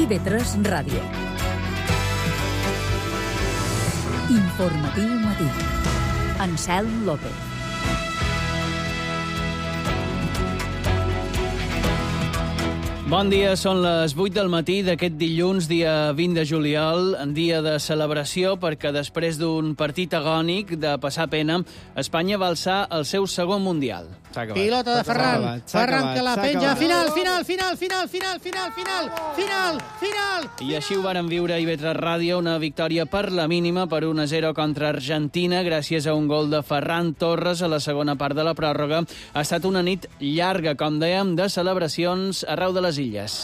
IB3 Ràdio. Informatiu matí. Anselm López. Bon dia, són les 8 del matí d'aquest dilluns, dia 20 de juliol, en dia de celebració perquè després d'un partit agònic de passar pena, Espanya va alçar el seu segon Mundial. Pilota de Ferran, Ferran que la penja, final! I així ho varen viure a IB3 Ràdio, una victòria per la mínima per 1-0 contra Argentina, gràcies a un gol de Ferran Torres a la segona part de la pròrroga. Ha estat una nit llarga, com dèiem, de celebracions arreu de les illes.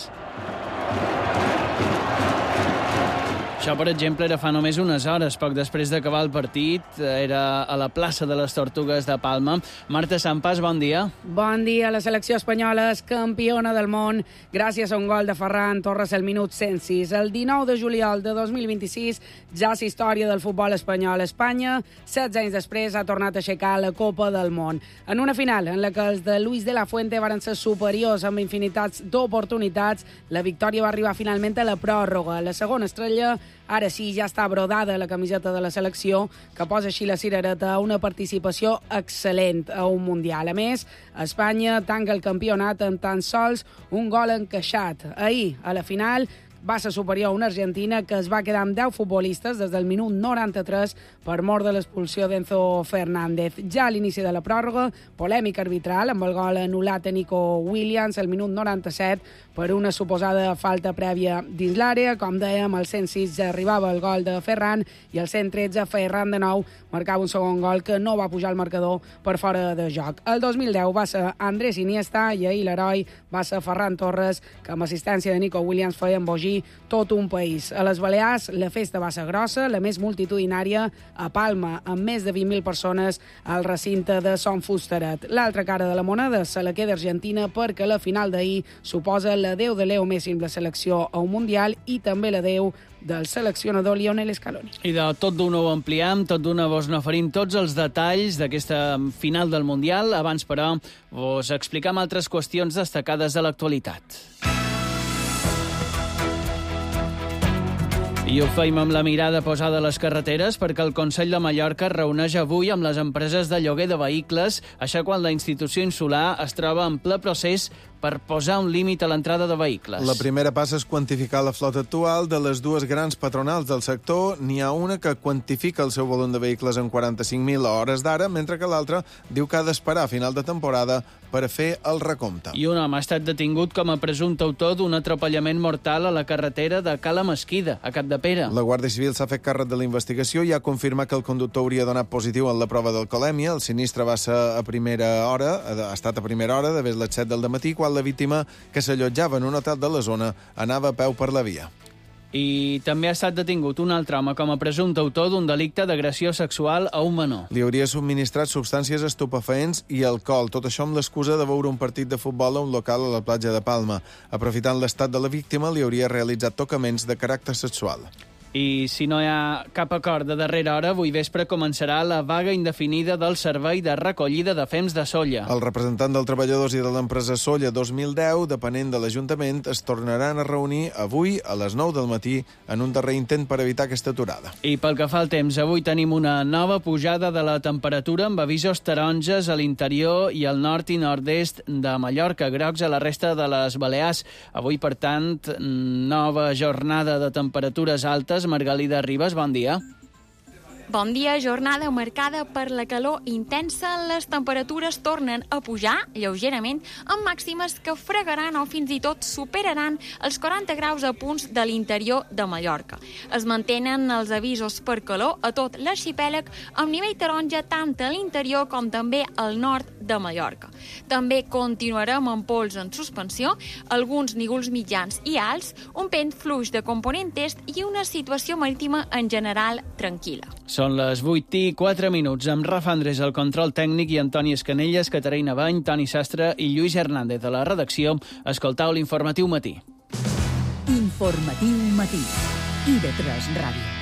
Això, per exemple, era fa només unes hores. Poc després d'acabar el partit, era a la plaça de les Tortugues de Palma. Marta Sampas, bon dia. Bon dia. La selecció espanyola és campiona del món gràcies a un gol de Ferran Torres al minut 106. El 19 de juliol de 2026 ja és història del futbol espanyol. Espanya, 16 anys després, ha tornat a aixecar la Copa del Món. En una final en la que els de Luis de la Fuente varen ser superiors amb infinitats d'oportunitats, la victòria va arribar finalment a la pròrroga. La segona estrella, ara sí, ja està brodada la camiseta de la selecció, que posa així la cirereta a una participació excel·lent a un Mundial. A més, Espanya tanca el campionat amb tan sols un gol encaixat. Ahir, a la final, va ser superior a una Argentina que es va quedar amb 10 futbolistes des del minut 93 per mort de l'expulsió d'Enzo Fernández. Ja a l'inici de la pròrroga, polèmica arbitral amb el gol anul·lat a Nico Williams al minut 97 per una suposada falta prèvia dins l'àrea. Com dèiem, al 106 ja arribava el gol de Ferran i al 113 Ferran de nou marcava un segon gol que no va pujar al marcador per fora de joc. El 2010 va ser Andrés Iniesta i ahir l'heroi va ser Ferran Torres, que amb assistència de Nico Williams feia embogir tot un país. A les Balears la festa va ser grossa, la més multitudinària a Palma, amb més de 20.000 persones al recinte de Son Fusteret. L'altra cara de la moneda se la queda Argentina perquè la final d'ahir suposa l'adeu de Leo Messi amb la selecció a un Mundial i també l'adeu del seleccionador Lionel Scaloni. I de tot d'una ho ampliem, tot d'una vos n'oferim tots els detalls d'aquesta final del Mundial. Abans, però, vos explicam altres qüestions destacades de l'actualitat. I ho feim amb la mirada posada a les carreteres perquè el Consell de Mallorca es reuneix avui amb les empreses de lloguer de vehicles, això quan la institució insular es troba en ple procés per posar un límit a l'entrada de vehicles. La primera passa és quantificar la flota actual. De les dues grans patronals del sector, n'hi ha una que quantifica el seu volum de vehicles en 45.000 a hores d'ara, mentre que l'altra diu que ha d'esperar a final de temporada per fer el recompte. I un home ha estat detingut com a presumpte autor d'un atropellament mortal a la carretera de Cala Mesquida, a Capdepera. La Guàrdia Civil s'ha fet càrrec de la investigació i ha confirmat que el conductor hauria donat positiu en la prova d'alcoholèmia. El sinistre va ser ha estat a primera hora, de les 7 del dematí, quan la víctima, que s'allotjava en un hotel de la zona, anava a peu per la via. I també ha estat detingut un altre home com a presumpte autor d'un delicte d'agressió sexual a un menor. Li hauria subministrat substàncies estupefaents i alcohol, tot això amb l'excusa de veure un partit de futbol a un local a la platja de Palma. Aprofitant l'estat de la víctima, li hauria realitzat tocaments de caràcter sexual. I si no hi ha cap acord de darrera hora, avui vespre començarà la vaga indefinida del servei de recollida de fems de Sóller. El representant dels treballadors i de l'empresa Sóller 2010, depenent de l'Ajuntament, es tornaran a reunir avui a les 9 del matí en un darrer intent per evitar aquesta aturada. I pel que fa al temps, avui tenim una nova pujada de la temperatura amb avisos taronges a l'interior i al nord i nord-est de Mallorca, grocs a la resta de les Balears. Avui, per tant, nova jornada de temperatures altes. Margalida Ribas, bon dia. Bon dia, jornada marcada per la calor intensa. Les temperatures tornen a pujar lleugerament amb màximes que fregaran o fins i tot superaran els 40 graus a punts de l'interior de Mallorca. Es mantenen els avisos per calor a tot l'arxipèlag amb nivell taronja tant a l'interior com també al nord de Mallorca. També continuarem amb pols en suspensió, alguns nígols mitjans i alts, un vent fluix de component est i una situació marítima en general tranquil·la. Són les 8:04, amb Rafa Andrés al control tècnic i Antoni Escanelles, Caterina Bany, Toni Sastre i Lluís Hernández a la redacció. Escoltau l'Informatiu Matí. Informatiu Matí. IB3 Ràdio.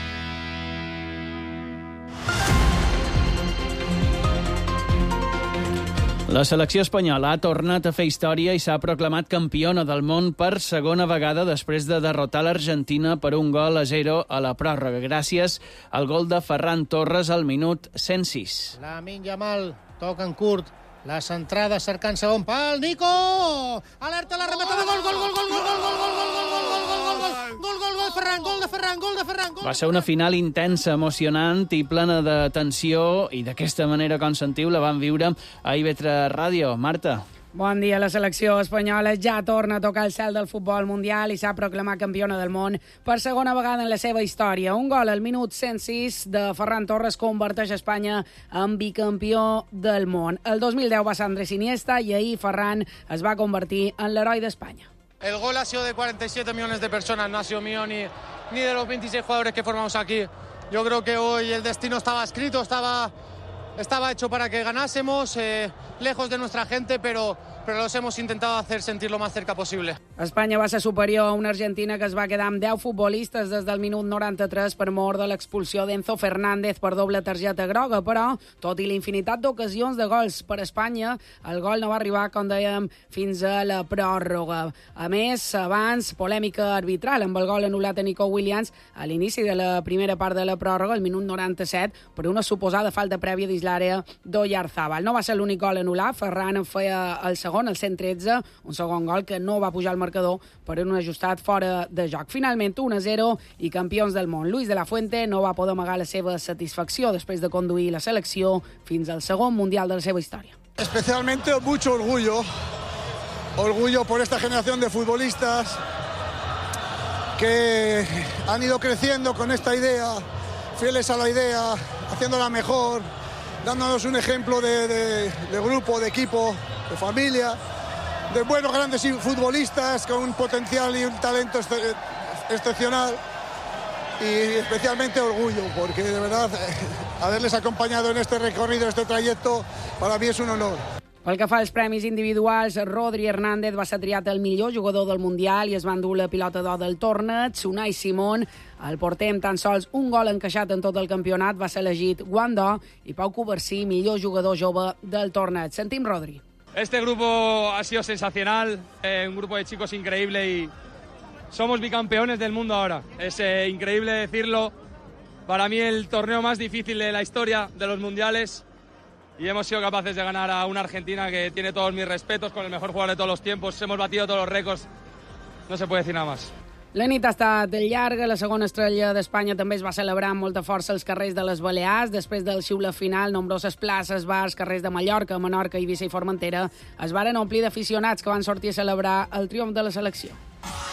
La selecció espanyola ha tornat a fer història i s'ha proclamat campiona del món per segona vegada després de derrotar l'Argentina per 1-0 a la pròrroga, gràcies al gol de Ferran Torres al minut 106. Lamine Yamal toca en curt, la centrada cercant segon pal, Nico! Alerta la rematada, gol, gol de Ferran. Va ser una final intensa, emocionant i plena de tensió i d'aquesta manera, com sentiu, la vam viure a IB3 Ràdio. Marta. Bon dia. La selecció espanyola ja torna a tocar el cel del futbol mundial i s'ha proclamat campiona del món per segona vegada en la seva història. Un gol al minut 106 de Ferran Torres converteix Espanya en bicampió del món. El 2010 va ser Andrés Iniesta i ahir Ferran es va convertir en l'heroi d'Espanya. El gol ha sido de 47 millones de personas, no ha sido mío ni de los 26 jugadores que formamos aquí. Yo creo que hoy el destino estaba escrito, estaba hecho para que ganásemos, lejos de nuestra gente, pero los hemos intentado hacer sentir lo más cerca posible. Espanya va ser superior a una Argentina que es va quedar amb 10 futbolistes des del minut 93 per mort de l'expulsió d'Enzo Fernández per doble targeta groga, però, tot i la infinitat d'ocasions de gols per Espanya, el gol no va arribar, com dèiem, fins a la pròrroga. A més, abans, polèmica arbitral amb el gol anul·lat a Nico Williams a l'inici de la primera part de la pròrroga, el minut 97, per una suposada falta prèvia dins l'àrea d'Oyarzabal. No va ser l'únic gol anul·lat, Ferran en feia el segon, el 113, un segon gol que no va pujar al marcador per un ajustat fora de joc. Finalment, 1-0 i campions del món. Luis de la Fuente no va poder amagar la seva satisfacció després de conduir la selecció fins al segon mundial de la seva història. Especialmente mucho orgullo por esta generación de futbolistas que han ido creciendo con esta idea, fieles a la idea, haciéndola mejor, dándonos un ejemplo de grupo, de equipo, de familia, de buenos grandes futbolistas con un potencial y un talento excepcional, y especialmente orgullo, porque de verdad haberles acompañado en este recorrido, este trayecto, para mí es un honor. Pel que fa als premis individuals, Rodri Hernández va ser triat el millor jugador del Mundial i es va endur la pilota d'or del torneig. Unai Simón, el porter amb tan sols un gol encaixat en tot el campionat, va ser elegit guant d'or, i Pau Covarsí, millor jugador jove del torneig. Sentim Rodri. Este grupo ha sido sensacional, un grupo de chicos increíble y somos bicampeones del mundo ahora. Es increíble decirlo. Para mí el torneo más difícil de la historia de los mundiales. Y hemos sido capaces de ganar a una Argentina que tiene todos mis respetos, con el mejor jugador de todos los tiempos. Hemos batido todos los récords. No se puede decir nada más. La nit ha estat llarga. La segona estrella d'Espanya també es va celebrar amb molta força als carrers de les Balears. Després del xiule final, nombroses places, bars, carrers de Mallorca, Menorca, Eivissa i Formentera es varen omplir d'aficionats que van sortir a celebrar el triomf de la selecció.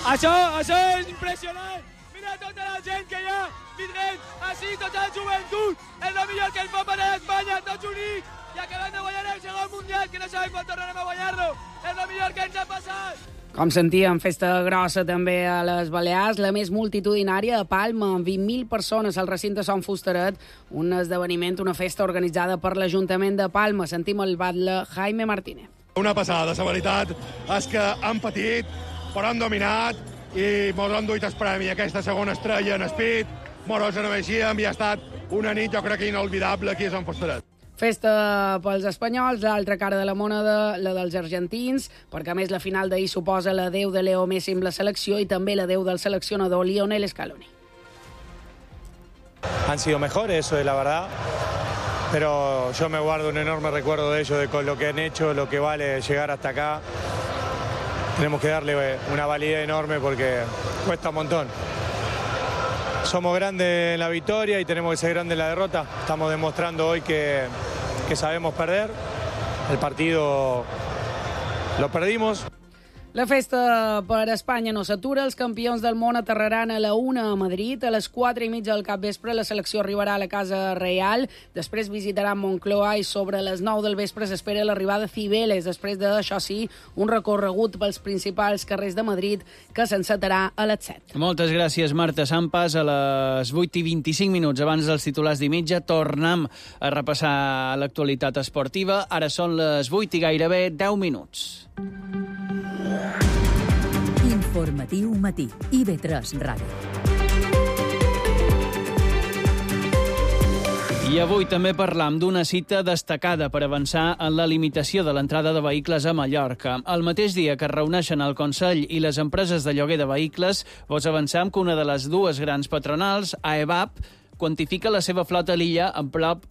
Això és impressionant! Mira tota la gent que hi ha vindrent així, tota la joventut! És el millor que ens pot passar a Espanya, tots units! I acabem de guanyar el segon mundial, que no sabem quan tornarem a guanyar-lo! És el millor que ens ha passat! Com sentíem, festa grossa també a les Balears, la més multitudinària a Palma, amb 20.000 persones al recinte Son Fusteret, un esdeveniment, una festa organitzada per l'Ajuntament de Palma. Sentim el batlle Jaime Martínez. Una passada, la veritat és que han patit, però han dominat i mos han duit el premi, aquesta segona estrella en Speed, mos ho mereixíem i ha estat una nit, jo crec que inolvidable aquí a Son Fusteret. Festa pels espanyols, l'altra cara de la moneda, la dels argentins, perquè a més la final d'ahir suposa l'adeu de Leo Messi amb la selecció i també l'adeu del seleccionador Lionel Scaloni. Han sido mejores, eso es la verdad, pero yo me guardo un enorme recuerdo de ellos, de con lo que han hecho, lo que vale llegar hasta acá. Tenemos que darle una validez enorme porque cuesta un montón. Somos grandes en la victoria y tenemos que ser grandes en la derrota. Estamos demostrando hoy que sabemos perder. El partido lo perdimos. La festa per Espanya no s'atura. Els campions del món aterraran a la 1 a Madrid. A les 4:30 del capvespre la selecció arribarà a la Casa Reial. Després visitarà Moncloa i sobre les 9 del vespre s'espera l'arribada de Cibeles. Després d'això sí, un recorregut pels principals carrers de Madrid que s'encetarà a les 7. Moltes gràcies, Marta Sampas. A les 8:25 abans dels titulars d'I-mitja tornem a repassar l'actualitat esportiva. Ara són les 8 i gairebé 10 minuts. Informatiu matí, IB3 Ràdio. I avui també parlam d'una cita destacada per avançar en la limitació de l'entrada de vehicles a Mallorca. El mateix dia que es reuneixen el Consell i les empreses de lloguer de vehicles, vos avancem que una de les dues grans patronals, AEVAP, quantifica la seva flota a l'illa en prop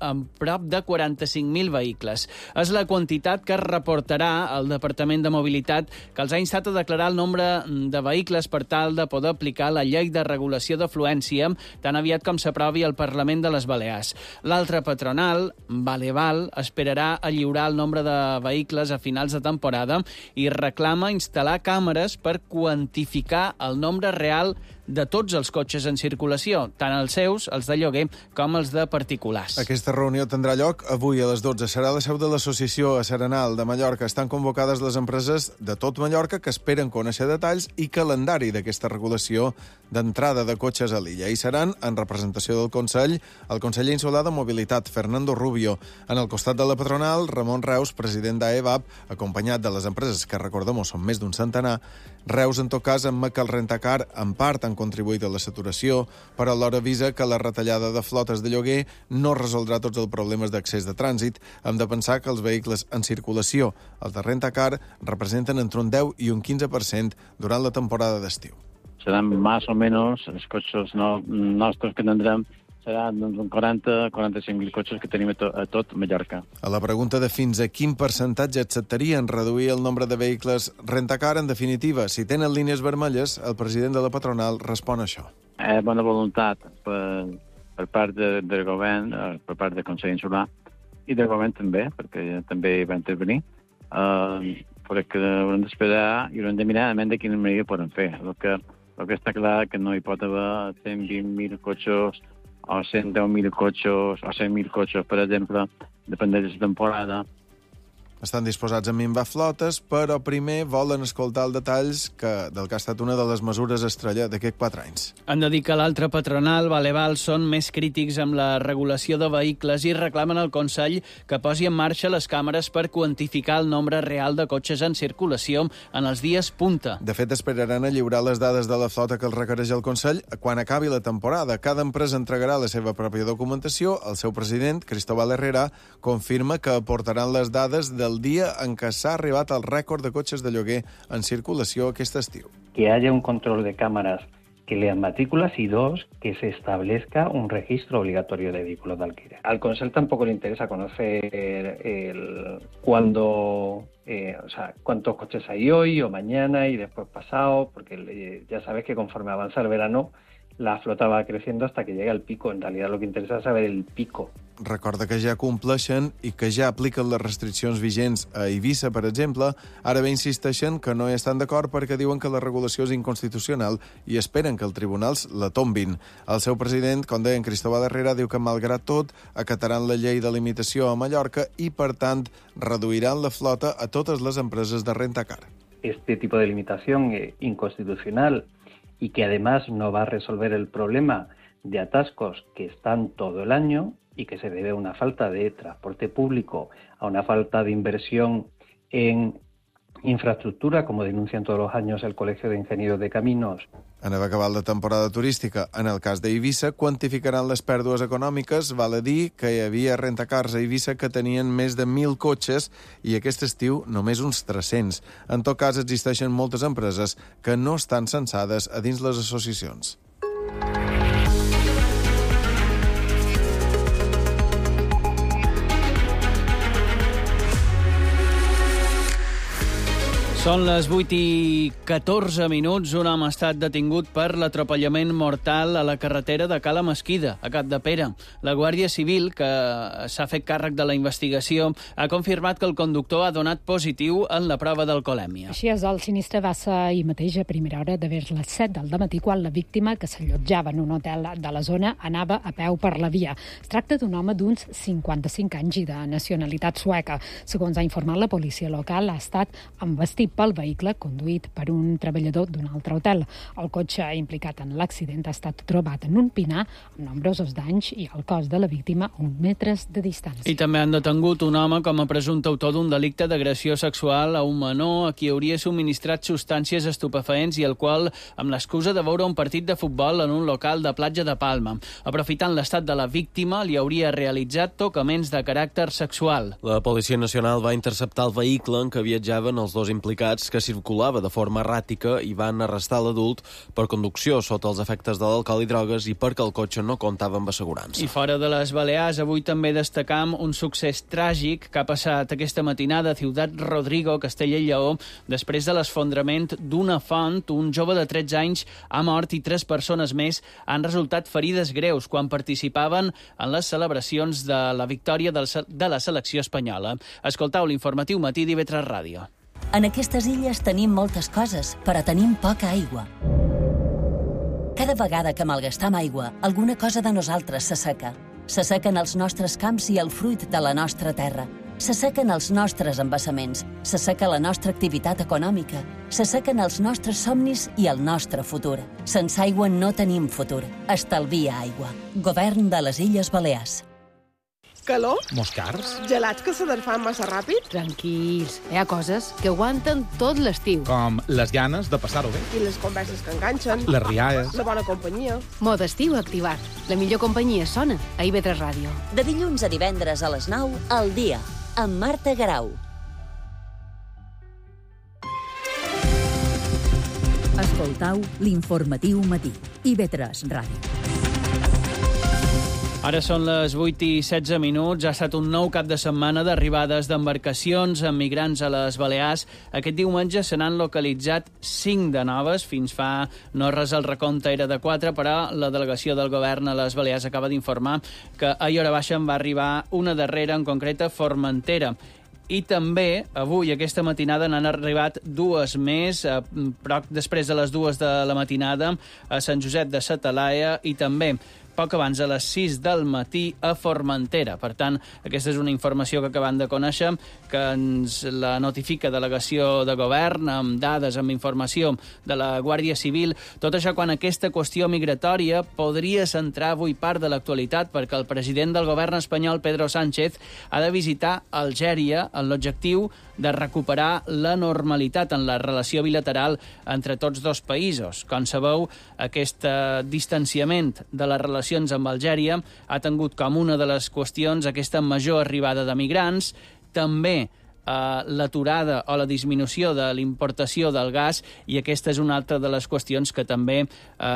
de 45.000 vehicles. És la quantitat que es reportarà al Departament de Mobilitat, que els ha instat a declarar el nombre de vehicles per tal de poder aplicar la llei de regulació d'afluència tan aviat com s'aprovi al Parlament de les Balears. L'altra patronal, Valeval, esperarà a lliurar el nombre de vehicles a finals de temporada i reclama instal·lar càmeres per quantificar el nombre real de tots els cotxes en circulació, tant els seus, els de lloguer, com els de particulars. Aquesta reunió tindrà lloc avui a les 12. Serà la seu de l'Associació Serenal de Mallorca. Estan convocades les empreses de tot Mallorca que esperen conèixer detalls i calendari d'aquesta regulació d'entrada de cotxes a l'illa. I seran, en representació del Consell, el conseller insular de Mobilitat, Fernando Rubio. En el costat de la patronal, Ramon Reus, president d'AEVAP, acompanyat de les empreses que, recordem, són més d'un centenar. Reus, en tot cas, admet que el rentacar, en part, han contribuït a la saturació, però alhora avisa que la retallada de flotes de lloguer no resoldrà tots els problemes d'accés de trànsit. Hem de pensar que els vehicles en circulació, els de rentacar, representen entre un 10 i un 15% durant la temporada d'estiu. Seran més o menys els cotxes nostres que tindrem seran uns 40-45.000 cotxes que tenim a tot Mallorca. A la pregunta de fins a quin percentatge acceptarien reduir el nombre de vehicles rentacar, en definitiva, si tenen línies vermelles, el president de la patronal respon això. Bona voluntat per part del govern, per part del Consell Insular, i del govern també, perquè també va intervenir. Però que haurem d'esperar i haurem de mirar de quina manera poden fer. El que està clar que no hi pot haver 120.000 cotxes o 110.000 cotxes o 100.000 cotxes, per exemple, depèn de la temporada. Estan disposats a minvar flotes, però primer volen escoltar els detalls del que ha estat una de les mesures estrella d'aquests 4 anys. Han de dir que l'altra patronal, Valeval, són més crítics amb la regulació de vehicles i reclamen al Consell que posi en marxa les càmeres per quantificar el nombre real de cotxes en circulació en els dies punta. De fet, esperaran a lliurar les dades de la flota que els requereix el Consell quan acabi la temporada. Cada empresa entregarà la seva pròpia documentació. El seu president, Cristóbal Herrera, confirma que aportaran les dades del dia en què s'ha arribat al rècord de cotxes de lloguer en circulació aquest estiu. Que haya un control de cámaras que lean matrículas y 2, que se establezca un registro obligatorio de vehículos de alquiler. Al Consell tampoco le interesa conocer cuántos coches hay hoy o mañana y después pasado, porque ya sabes que conforme avanza el verano, la flota va creciendo hasta que llega el pico. En realidad lo que interesa es saber el pico. Recorda que ja compleixen i que ja apliquen les restriccions vigents a Eivissa, per exemple. Ara bé insisteixen que no hi estan d'acord perquè diuen que la regulació és inconstitucional i esperen que els tribunals la tombin. El seu president, com deia Cristóbal Herrera, diu que malgrat tot acataran la llei de limitació a Mallorca i, per tant, reduiran la flota a totes les empreses de rentacar. Este tipo de limitación inconstitucional y que además no va a resolver el problema de atascos que están todo el año y que se debe a una falta de transporte público, a una falta de inversión en infraestructura, como denuncian todos los años el Colegio de Ingenieros de Caminos. En haver acabat la temporada turística, en el cas d'Eivissa, quantificaran les pèrdues econòmiques. Val a dir que hi havia rentacars a Eivissa que tenien més de 1.000 cotxes i aquest estiu només uns 300. En tot cas, existeixen moltes empreses que no estan censades a dins les associacions. Són les 8:14. Un home ha estat detingut per l'atropellament mortal a la carretera de Cala Mesquida, a Capdepera. La Guàrdia Civil, que s'ha fet càrrec de la investigació, ha confirmat que el conductor ha donat positiu en la prova d'alcoholèmia. Així és, el sinistre va ser ahir mateix a primera hora de vers les 7 del dematí, quan la víctima, que s'allotjava en un hotel de la zona, anava a peu per la via. Es tracta d'un home d'uns 55 anys i de nacionalitat sueca. Segons ha informat la policia local, ha estat envestit i pel vehicle conduït per un treballador d'un altre hotel. El cotxe implicat en l'accident ha estat trobat en un pinar amb nombrosos danys i el cos de la víctima a uns metres de distància. I també han detengut un home com a presumpte autor d'un delicte d'agressió sexual a un menor a qui hauria subministrat substàncies estupefaents i el qual, amb l'excusa de veure un partit de futbol en un local de platja de Palma. Aprofitant l'estat de la víctima, li hauria realitzat tocaments de caràcter sexual. La Policia Nacional va interceptar el vehicle en què viatjaven els dos implicats, que circulava de forma erràtica, i van arrestar l'adult per conducció sota els efectes de l'alcohol i drogues i perquè el cotxe no comptava amb assegurança. I fora de les Balears, avui també destacam un succés tràgic que ha passat aquesta matinada a Ciutat Rodrigo, Castella i Lleó. Després de l'esfondrament d'una font, un jove de 13 anys ha mort i 3 persones més han resultat ferides greus quan participaven en les celebracions de la victòria de la selecció espanyola. Escoltau l'informatiu matí d'IV3 Ràdio. En aquestes illes tenim moltes coses, però tenim poca aigua. Cada vegada que malgastam aigua, alguna cosa de nosaltres s'asseca. S'assequen els nostres camps i el fruit de la nostra terra. S'assequen els nostres embassaments, s'asseca la nostra activitat econòmica, s'assequen els nostres somnis i el nostre futur. Sense aigua no tenim futur. Estalvia aigua. Govern de les Illes Balears. Calor? Moscars? Gelats que se desfan massa ràpid? Tranquils, hi ha coses que aguanten tot l'estiu. Com les ganes de passar-ho bé. I les converses que enganxen. Les rialles. La bona companyia. Mode estiu activat. La millor companyia sona a IV3 Ràdio. De dilluns a divendres a les 9, al dia, amb Marta Garau. Escoltau l'informatiu matí. IV3 Ràdio. Ara són les 8:16. Ha estat un nou cap de setmana d'arribades d'embarcacions amb migrants a les Balears. Aquest diumenge se n'han localitzat 5 de noves. Fins fa no res el recompte era de 4, però la delegació del govern a les Balears acaba d'informar que ahir hora baixa en va arribar una darrera, en concret a Formentera. I també, avui, aquesta matinada, n'han arribat 2 més, però després de les 2 de la matinada, a Sant Josep de sa Talaia i també poc abans a les 6 del matí a Formentera. Per tant, aquesta és una informació que acabem de conèixer, que ens la notifica Delegació de Govern, amb dades, amb informació de la Guàrdia Civil. Tot això quan aquesta qüestió migratòria podria centrar avui part de l'actualitat, perquè el president del govern espanyol, Pedro Sánchez, ha de visitar Algèria amb l'objectiu de recuperar la normalitat en la relació bilateral entre tots dos països. Com sabeu, aquest distanciament de les relacions amb Algèria ha tingut com una de les qüestions aquesta major arribada de migrants, també l'aturada o la disminució de l'importació del gas, i aquesta és una altra de les qüestions que també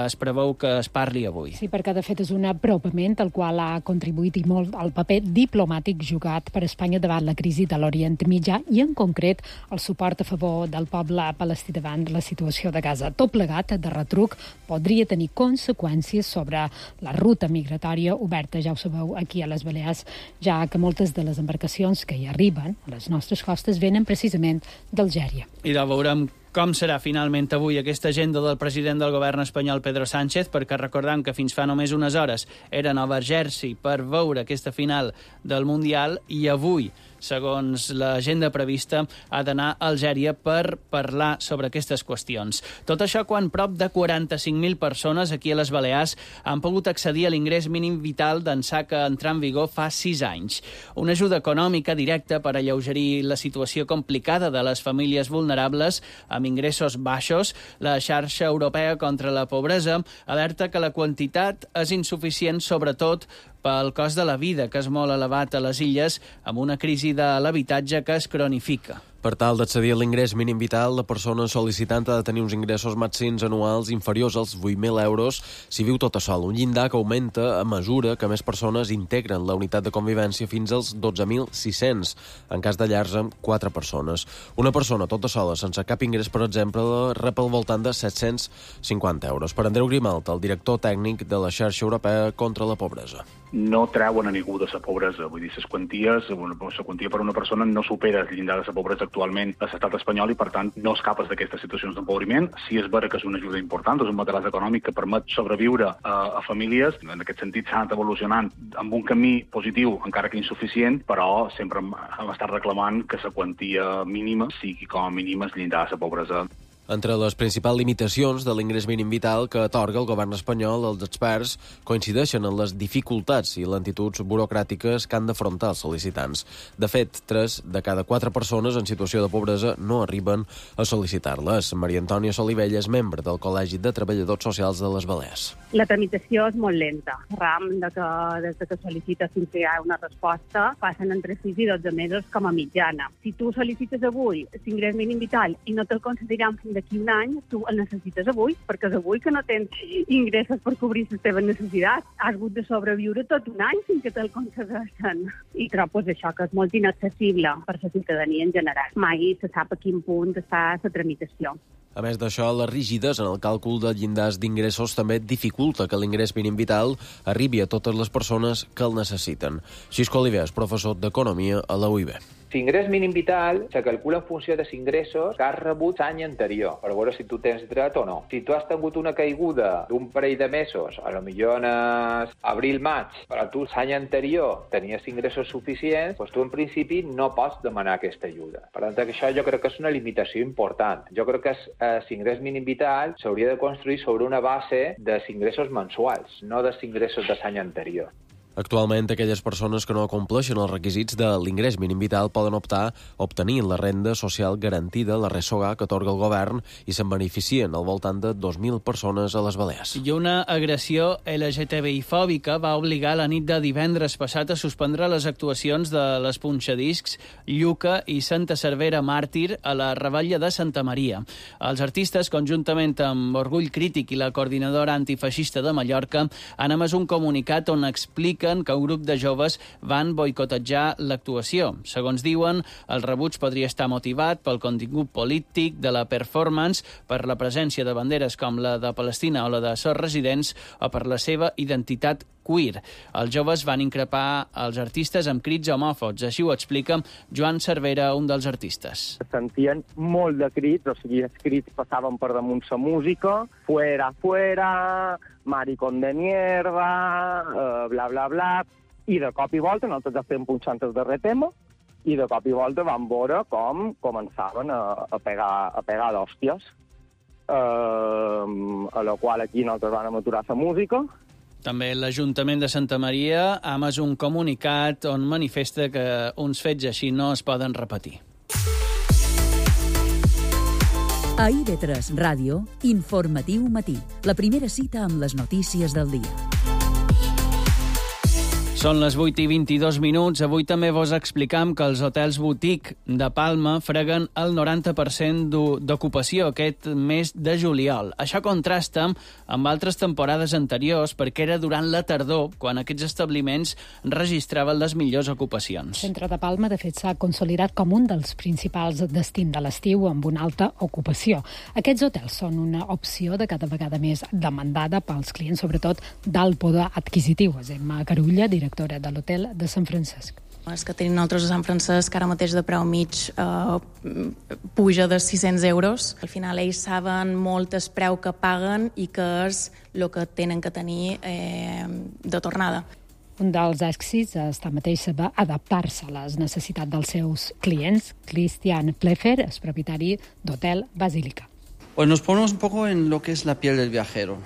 es preveu que es parli avui. Sí, perquè de fet és un apropament al qual ha contribuït i molt el paper diplomàtic jugat per Espanya davant la crisi de l'Orient Mitjà i en concret el suport a favor del poble palestí davant la situació de Gaza. Tot plegat, de retruc, podria tenir conseqüències sobre la ruta migratòria oberta, ja ho sabeu, aquí a les Balears, ja que moltes de les embarcacions que hi arriben a les nostres costes venen precisament d'Algèria. I ja veurem com serà finalment avui aquesta agenda del president del govern espanyol, Pedro Sánchez, perquè recordem que fins fa només unes hores era a Nova Jersey per veure aquesta final del Mundial i avui, segons l'agenda prevista, ha d'anar a Algèria per parlar sobre aquestes qüestions. Tot això quan prop de 45.000 persones aquí a les Balears han pogut accedir a l'ingrés mínim vital d'ençà que entrà en vigor fa 6 anys. Una ajuda econòmica directa per alleugerir la situació complicada de les famílies vulnerables amb ingressos baixos. La xarxa europea contra la pobresa alerta que la quantitat és insuficient, sobretot pel cost de la vida, que és molt elevat a les illes, amb una crisi de l'habitatge que es cronifica. Per tal d'accedir a l'ingrés mínim vital, la persona sol·licitant ha de tenir uns ingressos màxims anuals inferiors als 8.000 euros si viu tota sola, un llindar que augmenta a mesura que més persones integren la unitat de convivència fins als 12.600, en cas de llars amb 4 persones. Una persona tota sola, sense cap ingrés, per exemple, rep al voltant de 750 euros. Per Andreu Grimalt, el director tècnic de la xarxa europea contra la pobresa. no treuen a ningú de la pobresa. Vull dir, la quantia per una persona no supera el llindar de la pobresa actualment a l'estat espanyol i, per tant, no escapes d'aquestes situacions d'empobriment. Sí és vera que és una ajuda important, és un material econòmic que permet sobreviure a famílies. En aquest sentit s'ha anat evolucionant amb un camí positiu, encara que insuficient, però sempre hem estat reclamant que la quantia mínima sigui com a mínim el llindar de la pobresa. Entre les principals limitacions de l'ingrés mínim vital que atorga el govern espanyol, els experts coincideixen en les dificultats i lentituds burocràtiques que han d'afrontar els sol·licitants. De fet, 3 de cada 4 persones en situació de pobresa no arriben a sol·licitar-les. Maria Antònia Solivella és membre del Col·legi de Treballadors Socials de les Balears. La tramitació és molt lenta. Des que sol·licites fins que hi ha una resposta, passen entre 6 i 12 mesos com a mitjana. Si tu sol·licites avui l'ingrés mínim vital i no te'l concediran fins d'aquí un any, tu el necessites avui, perquè és avui que no tens ingressos per cobrir les teves necessitats. Has hagut de sobreviure tot un any fins que te'l concedeixen. I trobo això, que és molt inaccessible per la ciutadania en general. Mai se sap a quin punt està la tramitació. A més d'això, la rigidesa en el càlcul de llindars d'ingressos també dificulta que l'ingrés mínim vital arribi a totes les persones que el necessiten. Xisco Oliver és professor d'Economia a la UIB. L'ingrés mínim vital se calcula en funció dels ingressos que has rebut l'any anterior, per veure si tu tens dret o no. Si tu has tingut una caiguda d'un parell de mesos, a lo millor en abril-maig, però tu l'any anterior tenies ingressos suficients, doncs tu en principi no pots demanar aquesta ajuda. Per tant, això jo crec que és una limitació important. Jo crec que l'ingrés mínim vital s'hauria de construir sobre una base dels ingressos mensuals, no dels ingressos de l'any anterior. Actualment, aquelles persones que no compleixen els requisits de l'ingrés mínim vital poden optar a obtenir la renda social garantida, la RSOGA, que atorga el govern, i se'n beneficien al voltant de 2.000 persones a les Balears. I una agressió LGTBI-fòbica va obligar la nit de divendres passat a suspendre les actuacions de les punxadiscs Lluca i Santa Cervera Màrtir a la Revetlla de Santa Maria. Els artistes, conjuntament amb Orgull Crític i la coordinadora antifeixista de Mallorca, han emès un comunicat on explica que un grup de joves van boicotejar l'actuació. Segons diuen, el rebuig podria estar motivat pel contingut polític de la performance, per la presència de banderes com la de Palestina o la de Sos Residents o per la seva identitat queer. Els joves van increpar els artistes amb crits homòfobs. Així ho explica Joan Cervera, un dels artistes. Sentien molt de crits, o sigui, els crits passaven per damunt la música, fuera, fuera, maricón de mierda, bla, bla, bla, i de cop i volta nosaltres estem punxant el darrer tema, i de cop i volta vam veure com començaven a pegar d'hòsties, a la qual aquí nosaltres vam aturar la música. També l'Ajuntament de Santa Maria ha emès un comunicat on manifesta que uns fets així no es poden repetir. A IB3 Ràdio, Informatiu Matí, la primera cita amb les notícies del dia. Són les 8:22. Avui també vos explicam que els hotels boutique de Palma freguen el 90% d'ocupació aquest mes de juliol. Això contrasta amb altres temporades anteriors perquè era durant la tardor quan aquests establiments registraven les millors ocupacions. El centre de Palma, de fet, s'ha consolidat com un dels principals destins de l'estiu amb una alta ocupació. Aquests hotels són una opció de cada vegada més demandada pels clients, sobretot d'alt poder adquisitiu. És Emma Carulla, directora de l'hotel de Sant Francesc. Els que tenim nosaltres a Sant Francesc, ara mateix de preu mig puja de 600 euros. Al final ells saben molt el preu que paguen i que és el que tenen que tenir de tornada. Un dels èxits està mateix saber adaptar-se a les necessitats dels seus clients. Christian Plefer és propietari d'Hotel Basílica. Pues nos ponemos un poco en lo que es la piel del viajero.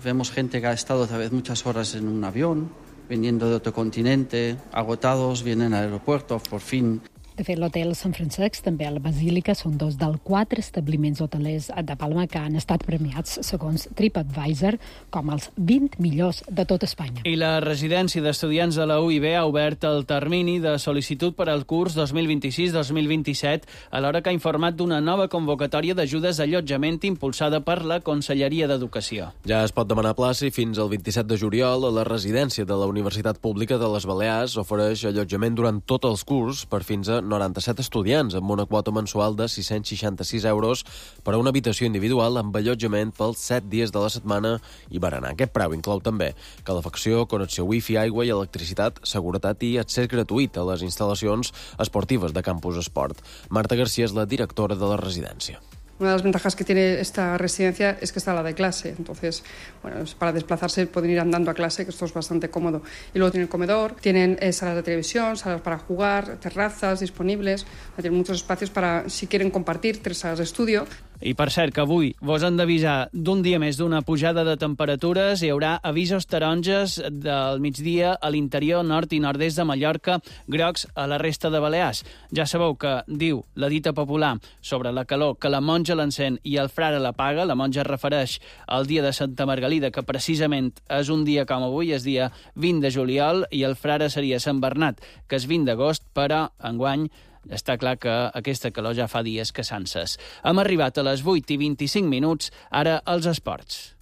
Vemos gente que ha estado tal vez muchas horas en un avión, viniendo de otro continente, agotados, vienen al aeropuerto, por fin. De fet, l'hotel Sant Francesc, també a la Basílica, són dos dels 4 establiments hotelers de Palma que han estat premiats, segons TripAdvisor, com els 20 millors de tot Espanya. I la residència d'estudiants de la UIB ha obert el termini de sol·licitud per al curs 2026-2027, alhora que ha informat d'una nova convocatòria d'ajudes d'allotjament impulsada per la Conselleria d'Educació. Ja es pot demanar plaça i fins al 27 de juliol a la residència de la Universitat Pública de les Balears ofereix allotjament durant tot el curs per fins a 97 estudiants, amb una quota mensual de 666 euros per a una habitació individual amb allotjament pels 7 dies de la setmana i berenar. Aquest preu inclou també calefacció, connexió wifi, aigua i electricitat, seguretat i accés gratuït a les instal·lacions esportives de Campus Esport. Marta García és la directora de la residència. Una de las ventajas que tiene esta residencia es que está la de clase, entonces, bueno, para desplazarse pueden ir andando a clase, que esto es bastante cómodo. Y luego tienen comedor, tienen salas de televisión, salas para jugar, terrazas disponibles, tienen muchos espacios para, si quieren compartir, 3 salas de estudio. I per cert, que avui vos han d'avisar d'un dia més d'una pujada de temperatures. Hi haurà avisos taronges del migdia a l'interior, nord i nord-est de Mallorca, grocs a la resta de Balears. Ja sabeu que diu la dita popular sobre la calor que la monja l'encén i el frare l'apaga. La monja es refereix al dia de Santa Margalida, que precisament és un dia com avui, és dia 20 de juliol, i el frare seria Sant Bernat, que és 20 d'agost, però enguany està clar que aquesta calor ja fa dies que s'ences. Hem arribat a les 8:25, ara als esports.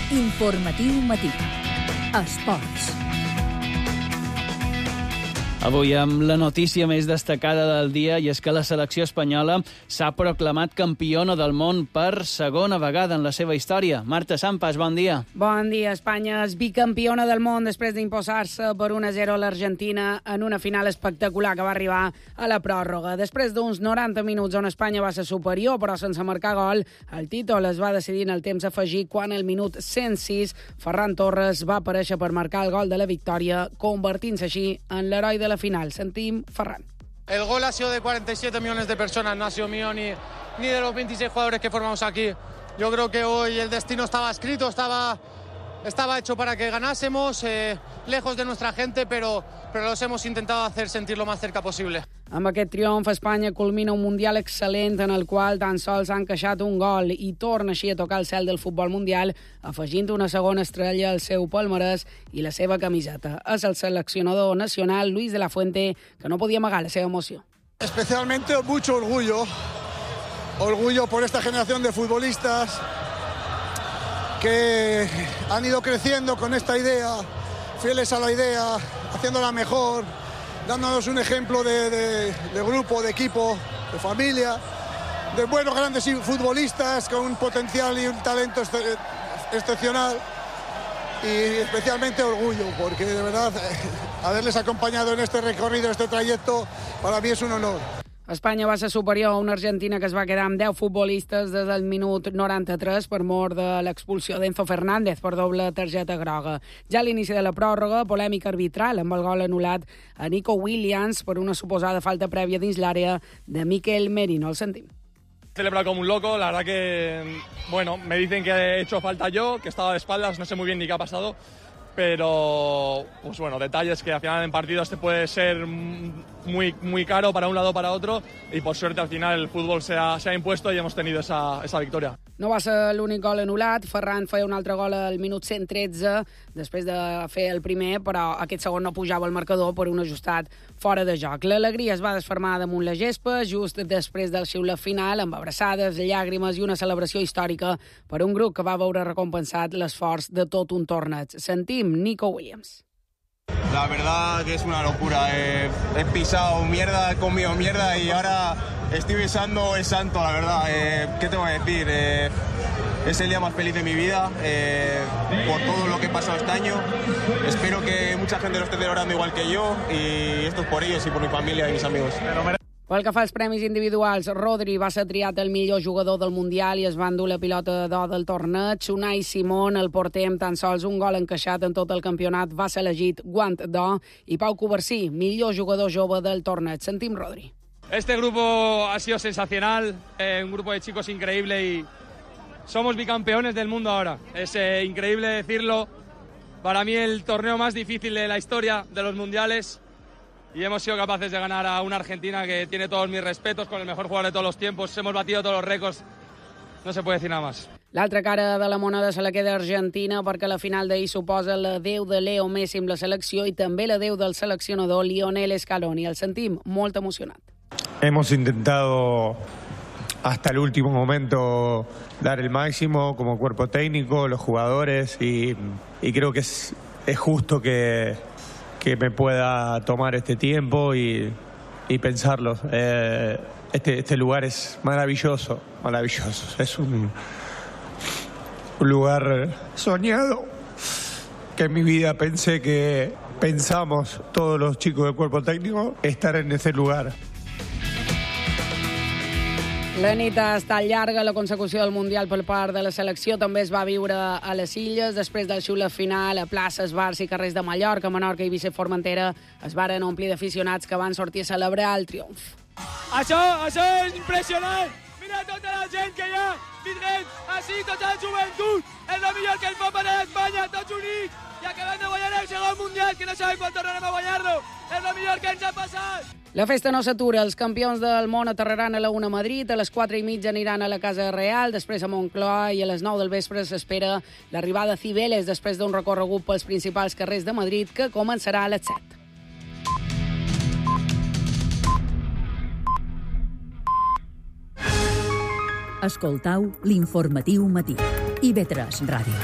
Informatiu matí. Esports. Avui amb la notícia més destacada del dia, i és que la selecció espanyola s'ha proclamat campiona del món per segona vegada en la seva història. Marta Sampas, bon dia. Bon dia. Espanya és bicampiona del món després d'imposar-se per 1-0 a l'Argentina en una final espectacular que va arribar a la pròrroga. Després d'uns 90 minuts on Espanya va ser superior, però sense marcar gol, el títol es va decidir en el temps afegit quan al minut 106 Ferran Torres va aparèixer per marcar el gol de la victòria, convertint-se així en l'heroi de la final. Sentim Ferran. El gol ha sido de 47 millones de personas, no ha sido mío ni de los 26 jugadores que formamos aquí. Yo creo que hoy el destino estaba escrito, estaba hecho para que ganásemos, lejos de nuestra gente, pero los hemos intentado hacer sentir lo más cerca posible. Amb aquest triomf, Espanya culmina un Mundial excel·lent en el qual tan sols han encaixat un gol i torna així a tocar el cel del futbol mundial, afegint una segona estrella al seu palmarès i la seva camiseta. És el seleccionador nacional, Luis de la Fuente, que no podia amagar la seva emoció. Especialmente mucho orgullo por esta generación de futbolistas que han ido creciendo con esta idea, fieles a la idea, haciéndola mejor, dándonos un ejemplo de grupo, de equipo, de familia, de buenos grandes futbolistas con un potencial y un talento excepcional, y especialmente orgullo, porque de verdad haberles acompañado en este recorrido, en este trayecto, para mí es un honor. Espanya va ser superior a una Argentina que es va quedar amb 10 futbolistes des del minut 93 per mort de l'expulsió d'Enzo Fernández per doble targeta groga. Ja a l'inici de la pròrroga, polèmica arbitral amb el gol anul·lat a Nico Williams per una suposada falta prèvia dins l'àrea de Mikel Merino. El sentim. Celebra como un loco, la verdad que, bueno, me dicen que he hecho falta yo, que estaba de espaldas, no sé muy bien ni qué ha pasado, pero, pues bueno, detalles que al final en partidos te puede ser muy caro para un lado o para otro, y por suerte al final el fútbol se ha impuesto y hemos tenido esa victoria. No va ser l'únic gol anul·lat. Ferran feia un altre gol al minut 113 després de fer el primer, però aquest segon no pujava al marcador per un ajustat fora de joc. L'alegria es va desfermar damunt la gespa just després del xiulet final, amb abraçades, llàgrimes i una celebració històrica per un grup que va veure recompensat l'esforç de tot un torneig. Sentim Nico Williams. La verdad que es una locura. He pisado mierda, he comido mierda y ahora estoy besando el santo, la verdad. ¿Qué te voy a decir? Es el día más feliz de mi vida por todo lo que he pasado este año. Espero que mucha gente lo esté celebrando igual que yo, y esto es por ellos y por mi familia y mis amigos. Pel que fa als premis individuals, Rodri va ser triat el millor jugador del Mundial i es va endur la pilota d'or del torneig. Unai Simón, el porter amb tan sols un gol encaixat en tot el campionat, va ser elegit guant d'or, i Pau Covarsí, millor jugador jove del torneig. Sentim Rodri. Este grupo ha sido sensacional, un grupo de chicos increíble y somos bicampeones del mundo ahora. Es increíble decirlo. Para mí el torneo más difícil de la historia de los mundiales, y hemos sido capaces de ganar a una Argentina que tiene todos mis respetos, con el mejor jugador de todos los tiempos. Hemos batido todos los récords. No se puede decir nada más. L'altra cara de la moneda se la queda Argentina, perquè la final d'ahir suposa l'adeu de Leo Messi amb la selecció i també l'adeu del seleccionador Lionel Scaloni. El sentim molt emocionat. Hemos intentado hasta el último momento dar el máximo como cuerpo técnico, los jugadores, y creo que es justo que que me pueda tomar este tiempo y pensarlo. Este lugar es maravilloso, es un lugar soñado que en mi vida pensamos todos los chicos del cuerpo técnico estar en ese lugar. La nit ha estat llarga, la consecució del Mundial per part de la selecció també es va viure a les Illes. Després del xulet final a places, bars i carrers de Mallorca, Menorca, Eivissa i Formentera es varen omplir d'aficionats que van sortir a celebrar el triomf. Això és impressionant! Mira tota la gent que hi ha vindrent així, tota la joventut! És el millor que ens pot passar a Espanya, tots units! I acabem de guanyar el segon Mundial, que no sabem quan tornarem a guanyar-lo! És el millor que ens ha passat! La festa no s'atura. Els campions del món aterraran a la 1 a Madrid, a les 4:30 aniran a la Casa Real, després a Moncloa i a les 9 del vespre s'espera l'arribada a Cibeles després d'un recorregut pels principals carrers de Madrid que començarà a les 7. Escoltau l'informatiu matí. IB3 Ràdio.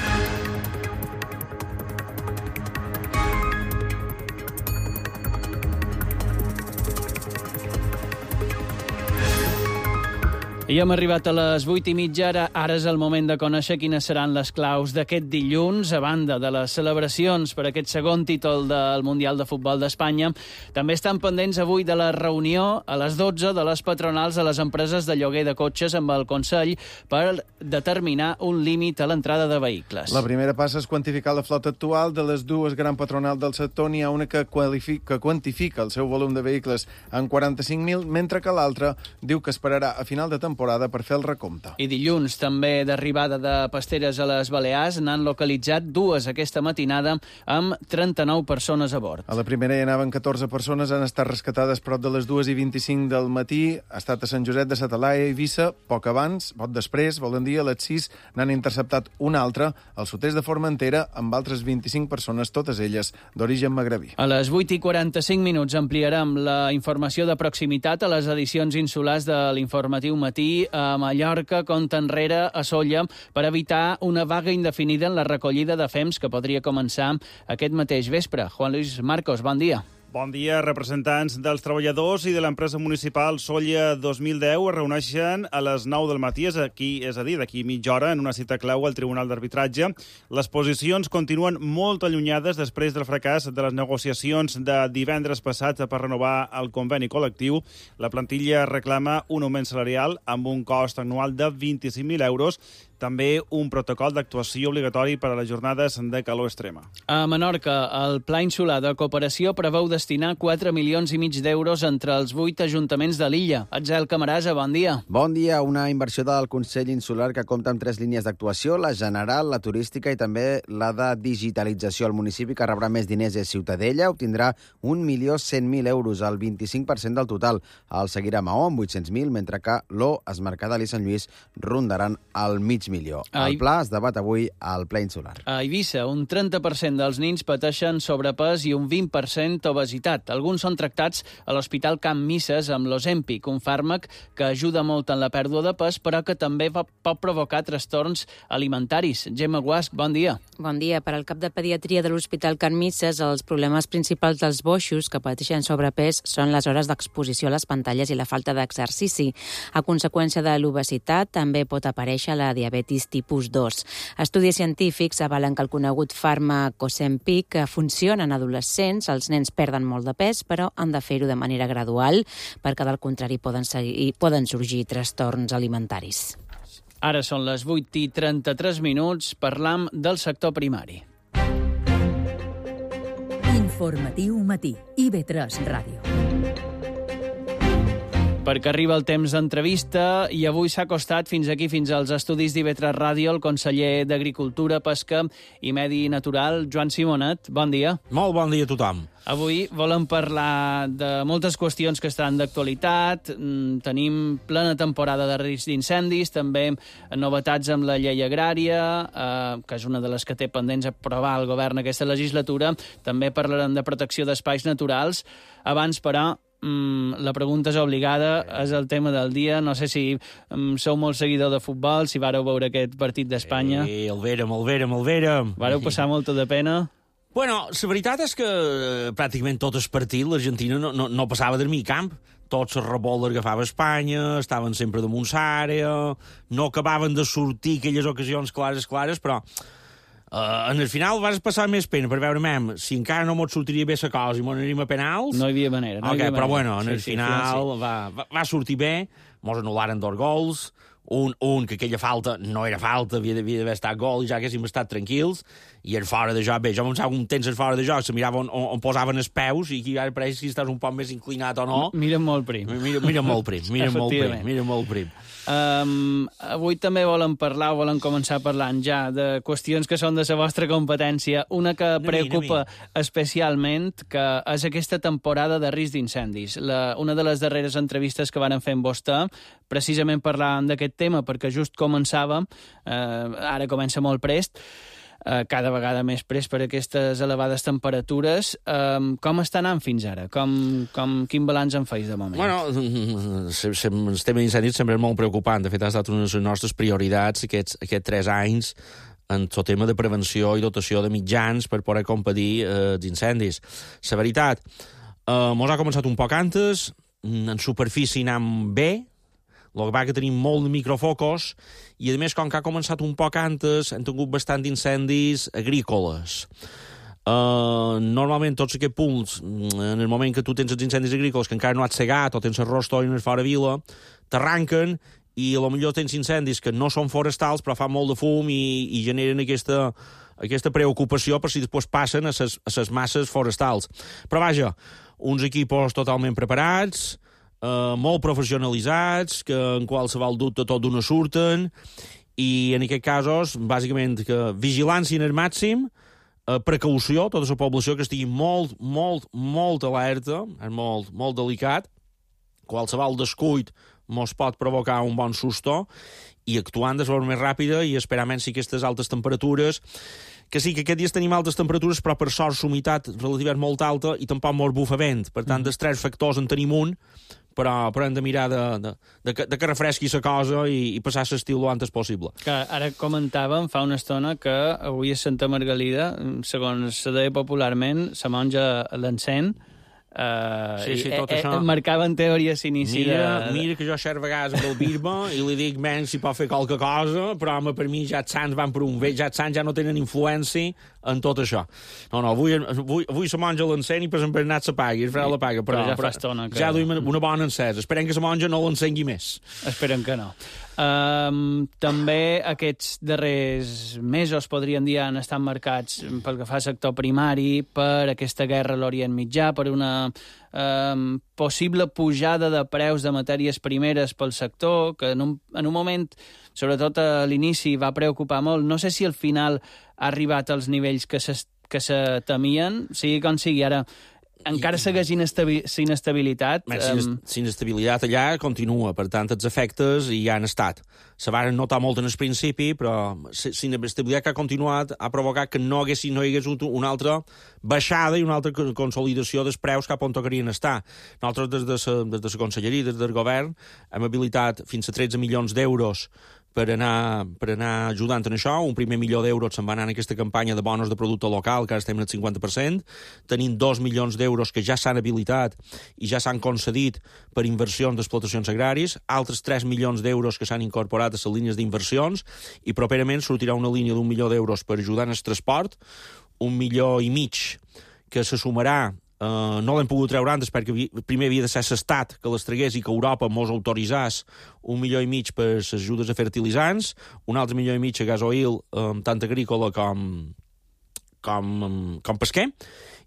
I hem arribat a les 8:30, ara és el moment de conèixer quines seran les claus d'aquest dilluns. A banda de les celebracions per aquest segon títol del Mundial de Futbol d'Espanya, també estan pendents avui de la reunió a les 12 de les patronals de les empreses de lloguer de cotxes amb el Consell per determinar un límit a l'entrada de vehicles. La primera passa és quantificar la flota actual. De les dues grans patronals del sector, n'hi ha una que quantifica el seu volum de vehicles en 45.000, mentre que l'altra diu que esperarà a final de temporada per fer el recompte. I dilluns, també d'arribada de pasteres a les Balears, n'han localitzat dues aquesta matinada amb 39 persones a bord. A la primera hi anaven 14 persones, han estat rescatades prop de les 2:25 del matí, ha estat a Sant Josep de sa Talaia i Eivissa, poc abans, poc després, volen dir, a les 6 n'han interceptat una altra al sud-est de Formentera amb altres 25 persones, totes elles d'origen magrebí. A les 8:45 ampliarem la informació de proximitat a les edicions insulars de l'informatiu matí a Mallorca, compte enrere a Sóller, per evitar una vaga indefinida en la recollida de fems que podria començar aquest mateix vespre. Juan Luis Marcos, bon dia. Bon dia. Representants dels treballadors i de l'empresa municipal Sóller 2010 es reuneixen a les 9 del matí, és a dir, d'aquí mitja hora, en una cita clau al Tribunal d'Arbitratge. Les posicions continuen molt allunyades després del fracàs de les negociacions de divendres passat per renovar el conveni col·lectiu. La plantilla reclama un augment salarial amb un cost anual de 25.000 euros, també un protocol d'actuació obligatori per a les jornades de calor extrema. A Menorca, el Pla Insular de Cooperació preveu destinar 4,5 milions d'euros entre els 8 ajuntaments de l'illa. Atzel Camarasa, bon dia. Bon dia. Una inversió del Consell Insular que compta amb 3 línies d'actuació, la general, la turística i també la de digitalització. El municipi que rebrà més diners és Ciutadella, obtindrà 1.100.000 euros, el 25% del total. El seguirà Maó amb 800.000, mentre que l'O, Es Mercadal i Sant Lluís rondaran el mig milió. El pla es debat avui al ple insular. A Eivissa, un 30% dels nins pateixen sobrepès i un 20% obesitat. Alguns són tractats a l'Hospital Can Misses amb l'Ozempic, un fàrmac que ajuda molt en la pèrdua de pes, però que també pot provocar trastorns alimentaris. Gemma Guasc, bon dia. Bon dia. Per al cap de pediatria de l'Hospital Can Misses, els problemes principals dels boixos que pateixen sobrepès són les hores d'exposició a les pantalles i la falta d'exercici. A conseqüència de l'obesitat, també pot aparèixer la diabetis tipus 2. Estudis científics avalen que el conegut fàrmac Ozempic funciona en adolescents. Els nens perden molt de pes, però han de fer-ho de manera gradual, perquè del contrari poden sorgir trastorns alimentaris. Ara són les 8:33, parlam del sector primari. Informatiu matí, IB3 Ràdio. Perquè arriba el temps d'entrevista i avui s'ha acostat fins aquí, fins als estudis d'IB3 Ràdio, el conseller d'Agricultura, Pesca i Medi Natural, Joan Simonet. Bon dia. Molt bon dia a tothom. Avui volem parlar de moltes qüestions que estan d'actualitat. Tenim plena temporada de risc d'incendis, també novetats amb la llei agrària, que és una de les que té pendents aprovar el govern aquesta legislatura. També parlarem de protecció d'espais naturals. Abans, però, la pregunta és obligada, és el tema del dia. No sé si sou molt seguidor de futbol, si vareu veure aquest partit d'Espanya. El vérem. Vareu passar molta de pena? Bueno, la veritat és que pràcticament tot el partit l'Argentina no passava del mig camp. Tots els rebols l'agafava Espanya, estaven sempre damunt l'àrea, no acabaven de sortir aquelles ocasions clares, però en el final vas passar més pena per veure, si encara no mos sortiria bé la cosa i mos aniríem a penals... No hi havia manera. Però bueno, en el final va sortir bé, mos anul·laren 2 gols, un que aquella falta no era falta, havia d'haver estat gol i ja haguéssim estat tranquils, i el fora de joc, bé, jo pensava un temps el fora de joc, se mirava on posaven els peus, i aquí ara pareix si estàs un poc més inclinat o no. Mira molt prim. Mira molt prim. Avui també volen començar parlant ja de qüestions que són de la vostra competència. Una que preocupa especialment, que és aquesta temporada de risc d'incendis. Una de les darreres entrevistes que van fer amb vostè, precisament parlàvem d'aquest tema, perquè just començàvem, ara comença molt prest, cada vegada més prest per aquestes elevades temperatures. Com està anant fins ara? Quin balanç en feis de moment? Bueno, el tema d'incendis sempre és molt preocupant. De fet, ha estat una de les nostres prioritats aquests 3 anys en tot tema de prevenció i dotació de mitjans per poder competir els incendis. La veritat, mos ha començat un poc antes, en superfície anem bé, el que va que tenim molt de microfocos, i a més, com que ha començat un poc antes, hem tingut bastant d'incendis agrícoles. Normalment tots aquests punts, en el moment que tu tens els incendis agrícoles que encara no has segat o tens arròs tòrines fora vila, t'arranquen i potser tens incendis que no són forestals però fan molt de fum i generen aquesta preocupació per si després passen a les masses forestals. Però vaja, uns equipos totalment preparats, molt professionalitzats, que en qualsevol dubte tot d'una surten, i en aquests casos, bàsicament, que vigilància en el màxim, precaució, tota la població que estigui molt alerta, és molt delicat, qualsevol descuit mos pot provocar un bon susto, i actuant de forma més ràpida i esperament si aquestes altes temperatures, que sí, que aquest dia tenim altes temperatures, però per sort l'humitat relativa és molt alta i tampoc mos bufa vent. Per tant, dels 3 factors en tenim un, però hem de mirar de que refresqui la cosa i passar l'estiu lo antes possible. Que ara comentàvem fa una estona que avui a Santa Margalida, segons se deia popularment, la monja l'encén, tot això. Marcava en teoria s'inici Mira que jo xer vegades amb el bisbe i li dic, si pot fer qualque cosa, però home, per mi ja els sants van per un bé, ja els sants ja no tenen influència en tot això. No, avui la monja l'encén i per exemple Bernat s'apagui, el frare l'apaga, però ja fa estona que... Ja duim una bona encesa. Esperem que la monja no l'encengui més. Esperem que no. També aquests darrers mesos, podríem dir, han estat marcats pel que fa al sector primari, per aquesta guerra a l'Orient Mitjà, per una possible pujada de preus de matèries primeres pel sector, que en un moment, sobretot a l'inici, va preocupar molt. No sé si al final ha arribat als nivells que se temien, sigui com sigui. Ara encara segueix inestabilitat. L'inestabilitat allà continua, per tant, els efectes hi han estat. Se van notar molt en el principi, però l'inestabilitat que ha continuat ha provocat que no hi hagués una altra baixada i una altra consolidació dels preus cap on tocarien estar. Nosaltres, des de la Conselleria, des del govern, hem habilitat fins a 13 milions d'euros per anar ajudant en això. Un primer milió d'euros se'n va anar en aquesta campanya de bonos de producte local, que ara estem al 50%. Tenim 2 milions d'euros que ja s'han habilitat i ja s'han concedit per inversions d'explotacions agràries, altres 3 milions d'euros que s'han incorporat a les línies d'inversions, i properament sortirà una línia d'1 milió d'euros per ajudar en el transport, 1,5 milions que se sumarà. No l'hem pogut treure antes perquè primer havia de ser l'Estat que les tragués i que Europa mos autoritzés 1,5 milions per les ajudes a fertilitzants, 1,5 milions a gasoil, tant agrícola com pesquer,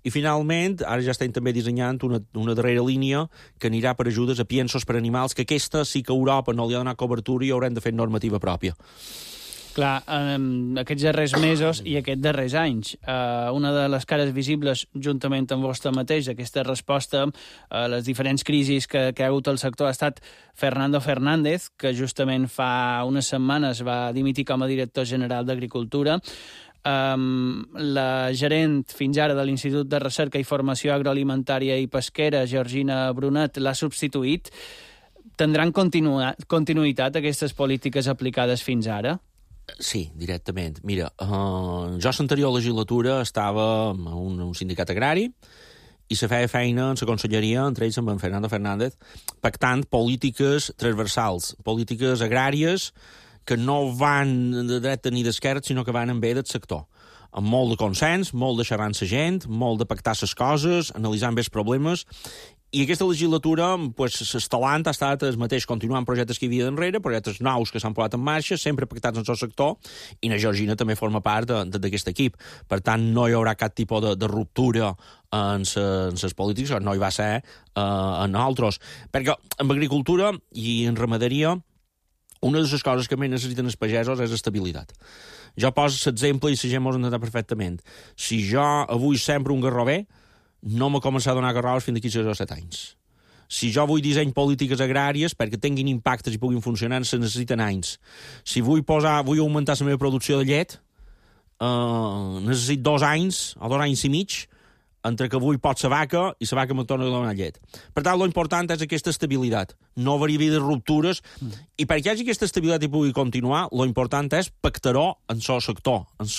i finalment ara ja estem també dissenyant una darrera línia que anirà per ajudes a piensos per animals, que aquesta sí que Europa no li ha donat cobertura i haurem de fer normativa pròpia. Clar, aquests darrers mesos i aquests darrers anys, una de les cares visibles, juntament amb vostè mateix, aquesta resposta a les diferents crisis que ha hagut el sector, ha estat Fernando Fernández, que justament fa unes setmanes va dimitir com a director general d'Agricultura. La gerent fins ara de l'Institut de Recerca i Formació Agroalimentària i Pesquera, Georgina Brunet, l'ha substituït. Tindran continuïtat aquestes polítiques aplicades fins ara? Sí, directament. Mira, jo l'anterior legislatura estava en un sindicat agrari i se feia feina en la conselleria, entre ells amb en Fernando Fernández, pactant polítiques transversals, polítiques agràries que no van de dreta ni d'esquerra, sinó que van en bé del sector. Amb molt de consens, molt de xerrar amb la gent, molt de pactar les coses, analitzant bé els problemes. I aquesta legislatura, l'estalant ha estat el mateix, continuant projectes que hi havia d'enrere, projectes nous que s'han posat en marxa, sempre pactats en el sector, i la Georgina també forma part d'aquest equip. Per tant, no hi haurà cap tipus de ruptura en les polítiques, no hi va ser en altres. Perquè en agricultura i en ramaderia, una de les coses que més necessiten els pagesos és estabilitat. Jo poso l'exemple i la gent m'ho entendrà perfectament. Si jo avui sembro un garrover, no m'ha començat a donar garroves fins d'aquí 6 o 7 anys. Si jo vull disseny polítiques agràries perquè tinguin impactes i puguin funcionar, se necessiten anys. Si vull augmentar la meva producció de llet, necessito 2 anys o 2 anys i mig entre que avui pot la vaca i la vaca me torna a donar llet. Per tant, l'important és aquesta estabilitat. No haver-hi de ruptures. I perquè hi hagi aquesta estabilitat i pugui continuar, l'important és pactar-ho en el sector, en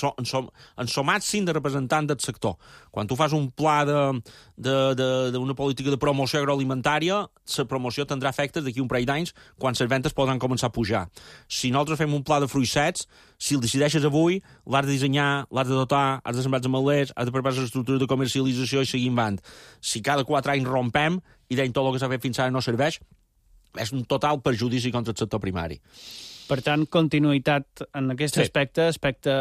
el màxim de representant del sector. Quan tu fas un pla d'una política de promoció agroalimentària, la promoció tindrà efectes d'aquí un parell d'anys quan les ventes podran començar a pujar. Si nosaltres fem un pla de fruits secs, si el decideixes avui, l'has de dissenyar, l'has de dotar, has de sembrar els ametllers, has de preparar l'estructura de comercialització i seguim avant. Si cada 4 anys rompem i deim tot el que s'ha fet fins ara no serveix, és un total perjudici contra el sector primari. Per tant, continuïtat en aquest aspecte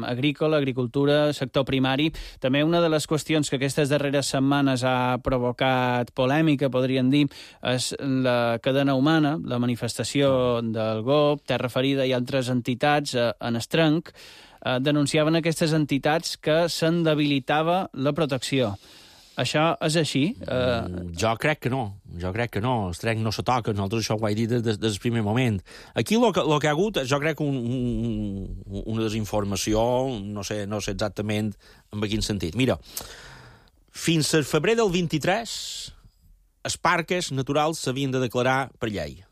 agrícola, agricultura, sector primari. També una de les qüestions que aquestes darreres setmanes ha provocat polèmica, podríem dir, és la cadena humana, la manifestació del GOP, Terra Ferida i altres entitats en Estrenc. Denunciaven aquestes entitats que se'n debilitava la protecció. Això és així? Jo crec que no. El trenc no se toca. Nosaltres això ho vaig dir des del primer moment. Aquí el que ha hagut, jo crec, una desinformació, no sé exactament en quin sentit. Mira, fins al febrer del 23, els parcs naturals s'havien de declarar per llei.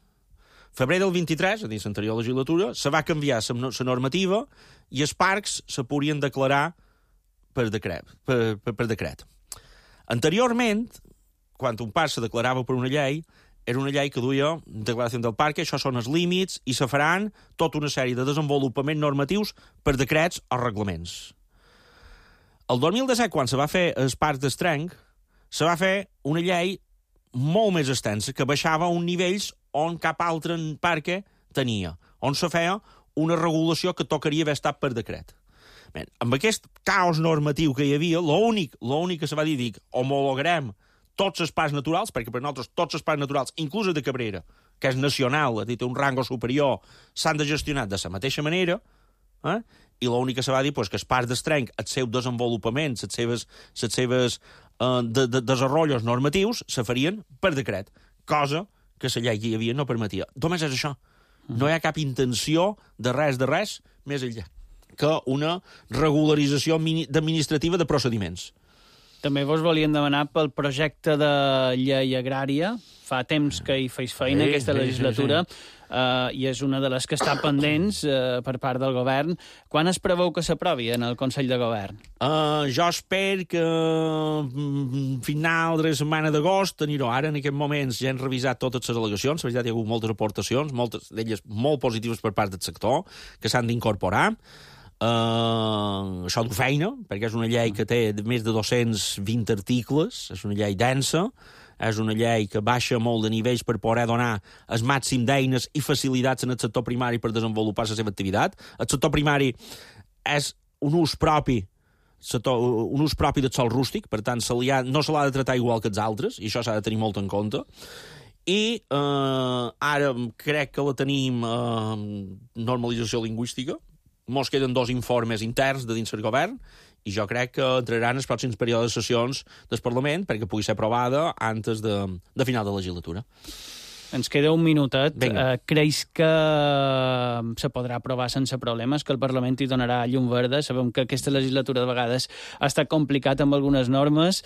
Febrer del 23, a dins l'anterior legislatura, se va canviar la normativa i els parcs se podien declarar per decret. Anteriorment, quan un parc se declarava per una llei, era una llei que duia declaració del parc, això són els límits, i se faran tota una sèrie de desenvolupaments normatius per decrets o reglaments. El 2017, quan se va fer el parc d'Estrenc, se va fer una llei molt més extensa, que baixava a uns nivells on cap altre parc tenia, on se feia una regulació que tocaria haver estat per decret. Bé, amb aquest caos normatiu que hi havia, l'únic que se va dir homologarem tots els parcs naturals, perquè per nosaltres tots els parcs naturals, inclús el de Cabrera, que és nacional, té un rango superior, s'han de gestionar de la mateixa manera, i l'únic que se va dir que els parcs d'Estrenc, els seus desenvolupaments, els seus desenvolupaments normatius, se farien per decret, cosa que la llei que hi havia no permetia. Només és això. No hi ha cap intenció de res més enllà que una regularització administrativa de procediments. També vos volíem demanar pel projecte de llei agrària. Fa temps que hi feis feina aquesta legislatura i és una de les que està pendents per part del govern. Quan es preveu que s'aprovi en el Consell de Govern? Jo espero que final de la setmana d'agost tenir-ho. Ara, en aquest moments, ja hem revisat totes les al·legacions. La veritat, hi ha hagut moltes aportacions, moltes d'elles molt positives per part del sector, que s'han d'incorporar. Això du feina, perquè és una llei que té més de 220 articles, és una llei densa, és una llei que baixa molt de nivells per poder donar el màxim d'eines i facilitats en el sector primari per desenvolupar la seva activitat. El sector primari és un ús propi del sòl rústic, per tant no se l'ha de tratar igual que els altres, i això s'ha de tenir molt en compte. I ara crec que la tenim normalització lingüística. Mos queden 2 informes interns de dins el govern i jo crec que entraran els pròxims períodes de sessions del Parlament perquè pugui ser aprovada antes de final de legislatura. Ens queda un minutet. Creus que se podrà aprovar sense problemes, que el Parlament hi donarà llum verda? Sabem que aquesta legislatura de vegades ha estat complicat amb algunes normes.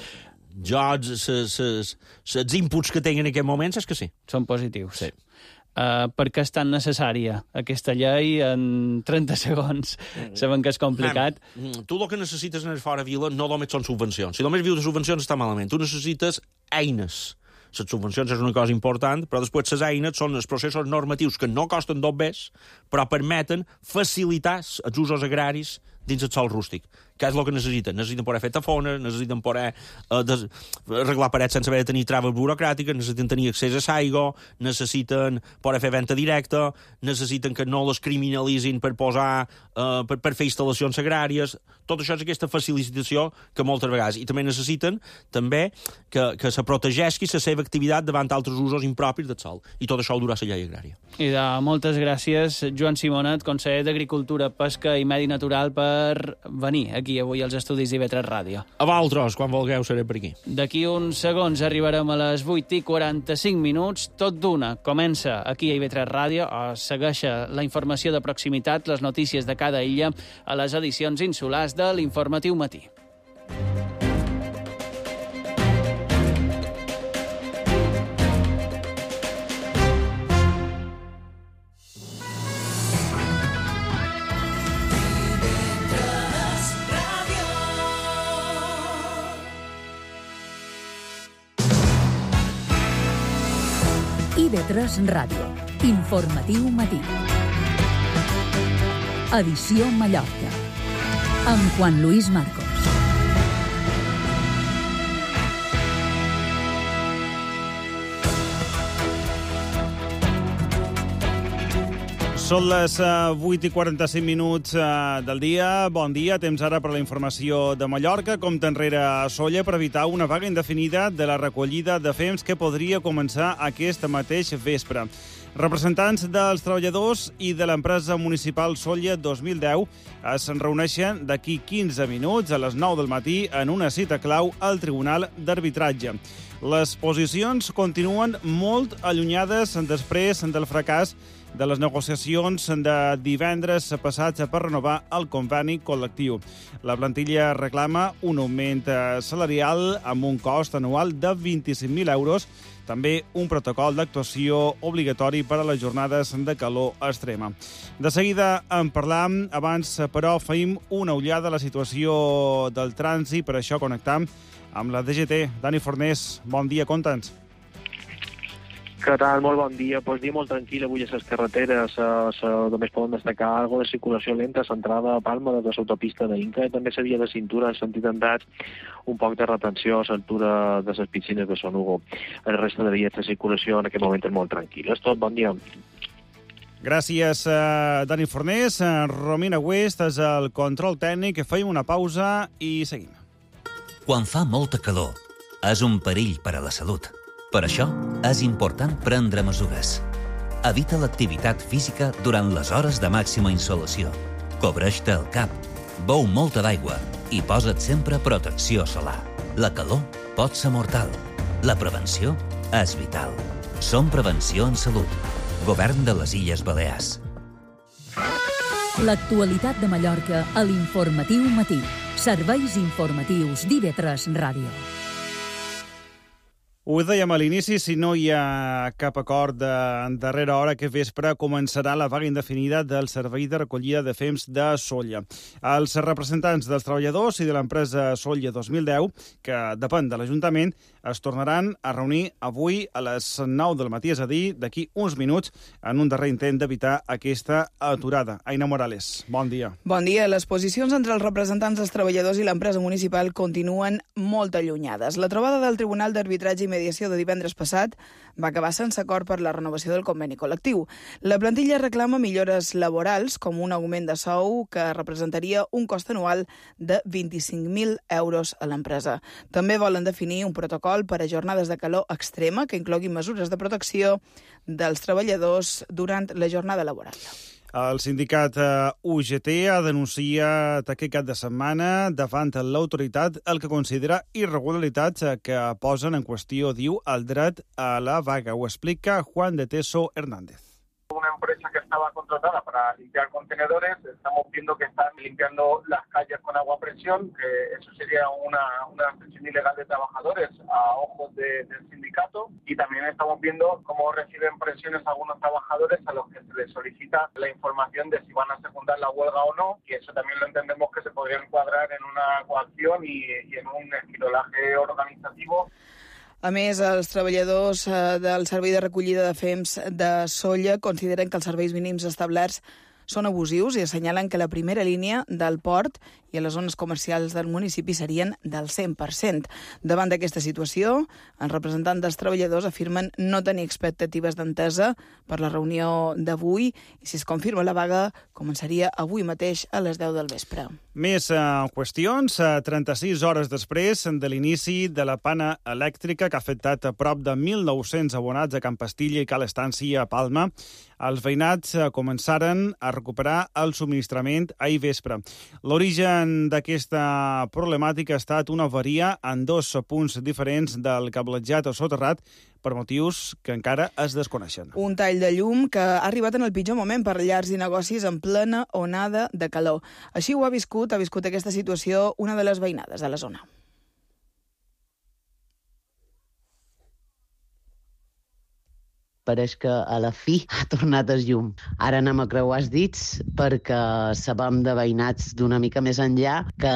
Els inputs que tinc en aquest moment és que sí. Són positius. Sí. per què és tan necessària aquesta llei en 30 segons? Sabem que és complicat. Tu el que necessites en el fora vila no només són subvencions. Si només vius de subvencions està malament. Tu necessites eines. Les subvencions és una cosa important, però després les eines són els processos normatius que no costen dos bes, però permeten facilitar els usos agraris dins el sòl rústic. Què és el que necessiten? Necessiten poder fer tafones, necessiten poder arreglar parets sense haver de tenir traves burocràtiques, necessiten tenir accés a l'aigua, necessiten poder fer venda directa, necessiten que no les criminalitzin per posar, per fer instal·lacions agràries. Tot això és aquesta facilitació que moltes vegades. I també necessiten que se protegeixi la seva activitat davant altres usos impropis del sòl. I tot això ho durà la llei agrària. I moltes gràcies, Joan Simonet, conseller d'Agricultura, Pesca i Medi Natural, per venir aquí avui als estudis d'IV3 Ràdio. A vosaltres, quan vulgueu, seré per aquí. D'aquí uns segons arribarem a les 8:45. Tot d'una comença aquí a IV3 Ràdio, segueix la informació de proximitat, les notícies de cada illa, a les edicions insulars de l'Informatiu Matí. IV3 Ràdio. Informatiu Matí. Edició Mallorca. Amb Juan Luis Marcos. Són les 8:45 del dia. Bon dia. Temps ara per la informació de Mallorca. Compte enrere a Sóller per evitar una vaga indefinida de la recollida de fems que podria començar aquest mateix vespre. Representants dels treballadors i de l'empresa municipal Sóller 2010 es reuneixen d'aquí 15 minuts a les 9 del matí en una cita clau al Tribunal d'Arbitratge. Les posicions continuen molt allunyades després del fracàs de les negociacions de divendres passats per renovar el conveni col·lectiu. La plantilla reclama un augment salarial amb un cost anual de 25.000 euros, també un protocol d'actuació obligatori per a les jornades de calor extrema. De seguida en parlam, abans però feim una ullada a la situació del trànsit, per això connectam amb la DGT. Dani Fornés, bon dia, conta'ns. Què tal? Molt bon dia. Pues dia molt tranquil avui a les carreteres. Només poden destacar algo de circulació lenta centrada a Palma de l'autopista d'Inca i també la via de cintura en sentit andats, un poc de retenció a l'altura de les piscines de Son Hugo. El resta de vies de circulació en aquest moment és molt tranquil. És tot, bon dia. Gràcies, Dani Fornés. Romina West és el control tècnic. Feim una pausa i seguim. Quan fa molta calor, és un perill per a la salut. Per això, és important prendre mesures. Evita l'activitat física durant les hores de màxima insolació. Cobreix-te el cap, beu molta d'aigua i posa't sempre protecció solar. La calor pot ser mortal. La prevenció és vital. Som Prevenció en Salut. Govern de les Illes Balears. L'actualitat de Mallorca a l'Informatiu Matí. Serveis informatius d'IV3 Ràdio. Ho dèiem a l'inici, si no hi ha cap acord de darrera hora, aquest vespre començarà la vaga indefinida del servei de recollida de fems de Sóller. Els representants dels treballadors i de l'empresa Sóller 2010, que depèn de l'Ajuntament, es tornaran a reunir avui a les 9 del matí, és a dir, d'aquí uns minuts, en un darrer intent d'evitar aquesta aturada. Aina Morales, bon dia. Bon dia. Les posicions entre els representants dels treballadors i l'empresa municipal continuen molt allunyades. La trobada del Tribunal d'Arbitratge i Mediació de divendres passat va acabar sense acord per la renovació del conveni col·lectiu. La plantilla reclama millores laborals, com un augment de sou que representaria un cost anual de 25.000 euros a l'empresa. També volen definir un protocol per a jornades de calor extrema que incloguin mesures de protecció dels treballadors durant la jornada laboral. El sindicat UGT ha denunciat aquest cap de setmana davant l'autoritat el que considera irregularitats que posen en qüestió, diu, el dret a la vaga. Ho explica Juan de Teso Hernández. una empresa que estaba contratada para limpiar contenedores, estamos viendo que están limpiando las calles con agua a presión, que eso sería una expresión ilegal de trabajadores a ojos del sindicato, y también estamos viendo cómo reciben presiones algunos trabajadores a los que se les solicita la información de si van a secundar la huelga o no, y eso también lo entendemos que se podría encuadrar en una coacción y en un esquirolaje organitzativo. A més, els treballadors del Servei de Recollida de Fems de Sóller consideren que els serveis mínims establerts són abusius i assenyalen que la primera línia del port i a les zones comercials del municipi serien del 100%. Davant d'aquesta situació, els representants dels treballadors afirmen no tenir expectatives d'entesa per la reunió d'avui i si es confirma la vaga, començaria avui mateix a les 10 del vespre. Més qüestions. 36 hores després de l'inici de la pana elèctrica que ha afectat a prop de 1.900 abonats a Can Pastilla i Cal Estància a Palma, els veïnats començaren a recuperar el subministrament ahir vespre. L'origen d'aquesta problemàtica ha estat una avaria en 2 punts diferents del cablejat o soterrat per motius que encara es desconeixen. Un tall de llum que ha arribat en el pitjor moment per llars i negocis en plena onada de calor. Així ho ha viscut aquesta situació una de les veïnades de la zona. Pareix que a la fi ha tornat el llum. Ara anem a creuar els dits perquè sabem de veïnats d'una mica més enllà que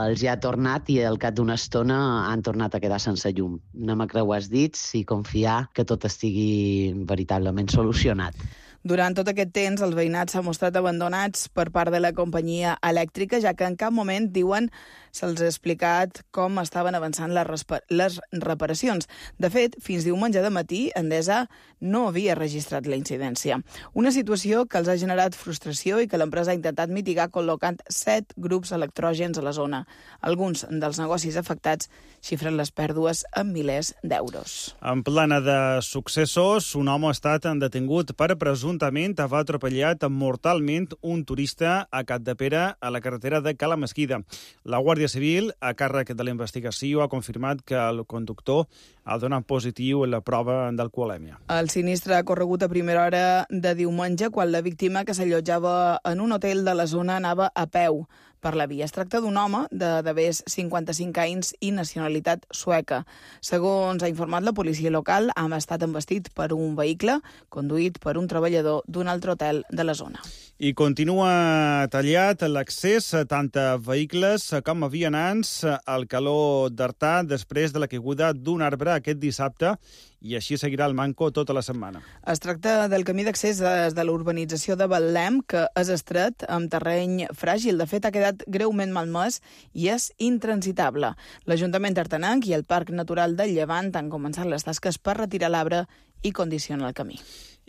els ha tornat i al cap d'una estona han tornat a quedar sense llum. Anem a creuar els dits i confiar que tot estigui veritablement solucionat. Durant tot aquest temps, els veïnats s'han mostrat abandonats per part de la companyia elèctrica, ja que en cap moment, diuen, se'ls ha explicat com estaven avançant les reparacions. De fet, fins diumenge de matí, Endesa no havia registrat la incidència. Una situació que els ha generat frustració i que l'empresa ha intentat mitigar col·locant 7 grups electrògens a la zona. Alguns dels negocis afectats xifren les pèrdues en milers d'euros. En plana de successos, un home ha estat detingut per presumptament haver atropellat mortalment un turista a Capdepera a la carretera de Cala Mesquida. La Guàrdia Civil, a càrrec de la investigació, ha confirmat que el conductor ha donat positiu en la prova d'alcoholèmia. El sinistre ha corregut a primera hora de diumenge, quan la víctima, que s'allotjava en un hotel de la zona, anava a peu per la via. Es tracta d'un home de més 55 anys i nacionalitat sueca. Segons ha informat la policia local, ha estat embestit per un vehicle conduït per un treballador d'un altre hotel de la zona. I continua tallat l'accés tant a vehicles com a vianants al Caló d'Artà després de la caiguda d'un arbre aquest dissabte, i així seguirà el manco tota la setmana. Es tracta del camí d'accés des de l'urbanització de Betlem, que és estret, amb terreny fràgil. De fet, ha quedat greument malmès i és intransitable. L'Ajuntament tartanenc i el Parc Natural del Llevant han començat les tasques per retirar l'arbre i condicionar el camí.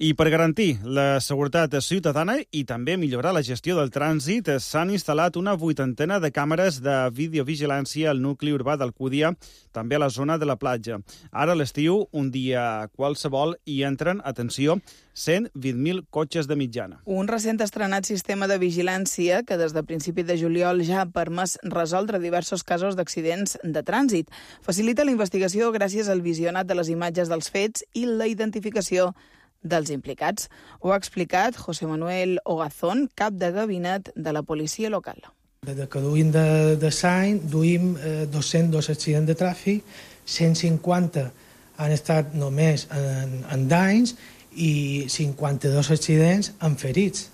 I per garantir la seguretat ciutadana i també millorar la gestió del trànsit, s'han instal·lat una 80ena de càmeres de videovigilància al nucli urbà d'Alcúdia, també a la zona de la platja. Ara a l'estiu, un dia qualsevol, hi entren, atenció, 120.000 cotxes de mitjana. Un recent estrenat sistema de vigilància que des de principi de juliol ja ha permès resoldre diversos casos d'accidents de trànsit. Facilita la investigació gràcies al visionat de les imatges dels fets i la identificació dels implicats. Ho ha explicat José Manuel Ogazón, cap de gabinet de la policia local. Des que duim de l'any, duim 202 accidents de tràfic, 150 han estat només en danys i 52 accidents en ferits.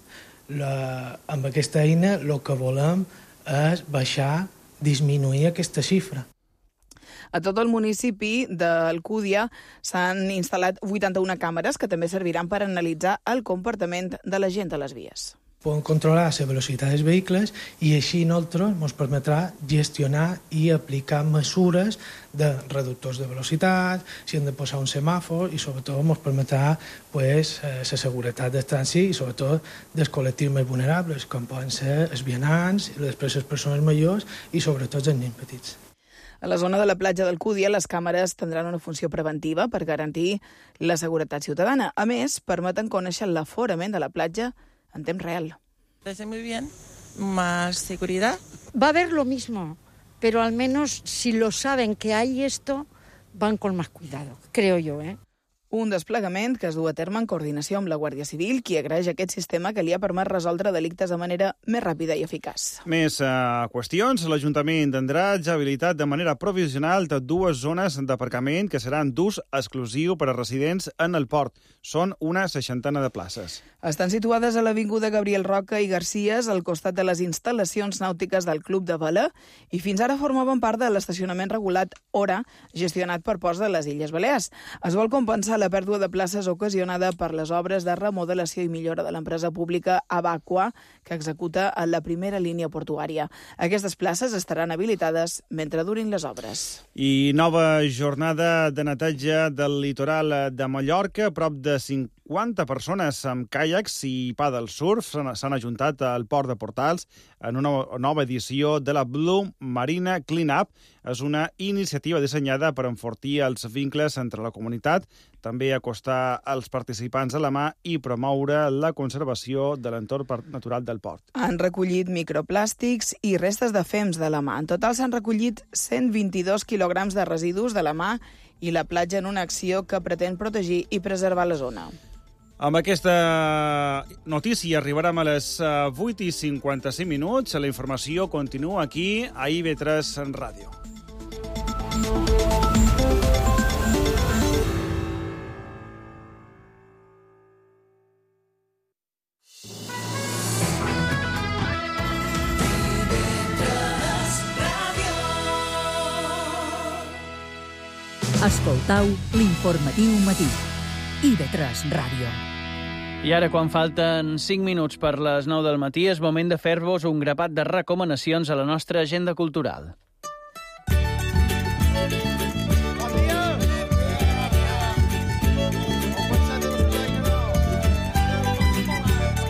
Amb aquesta eina el que volem és baixar, disminuir aquesta xifra. A tot el municipi d'Alcúdia s'han instal·lat 81 càmeres que també serviran per analitzar el comportament de la gent a les vies. Podem controlar la velocitat dels vehicles i així nosaltres ens permetrà gestionar i aplicar mesures de reductors de velocitat, si hem de posar un semàfor i sobretot ens permetrà la seguretat del trànsit i sobretot dels col·lectius més vulnerables, com poden ser els vianants, després les persones majors i sobretot els nens petits. A la zona de la platja d'Alcúdia, les càmeres tindran una funció preventiva per garantir la seguretat ciutadana. A més, permeten conèixer l'aforament de la platja en temps real. Parece muy bien, más seguridad. Va a haber lo mismo, pero al menos si lo saben que hay esto, van con más cuidado, creo yo, Un desplegament que es du a terme en coordinació amb la Guàrdia Civil, qui agraeix aquest sistema que li ha permès resoldre delictes de manera més ràpida i eficaç. Més qüestions. L'Ajuntament tindrà ja habilitat de manera provisional de 2 zones d'aparcament que seran d'ús exclusiu per a residents en el port. Són una 60 de places. Estan situades a l'Avinguda Gabriel Roca i Garcies, al costat de les instal·lacions nàutiques del Club de Vela, i fins ara formaven part de l'estacionament regulat Hora, gestionat per Ports de les Illes Balears. Es vol compensar la pèrdua de places ocasionada per les obres de remodelació i millora de l'empresa pública Abaqua, que executa en la primera línia portuària. Aquestes places estaran habilitades mentre durin les obres. I nova jornada de neteja del litoral de Mallorca. Prop de 50 persones amb caiacs i paddle surf s'han ajuntat al port de Portals en una nova edició de la Blue Marina Clean Up. És una iniciativa dissenyada per enfortir els vincles entre la comunitat, també acostar els participants a la mà i promoure la conservació de l'entorn natural del port. Han recollit microplàstics i restes de fems de la mà. En total s'han recollit 122 quilograms de residus de la mà i la platja en una acció que pretén protegir i preservar la zona. Amb aquesta notícia arribarem a les 8:55. La informació continua aquí a IB3 Ràdio. Escoltau l'informatiu matí. IB3 Ràdio. I ara, quan falten 5 minuts per les 9 del matí, és moment de fer-vos un grapat de recomanacions a la nostra agenda cultural.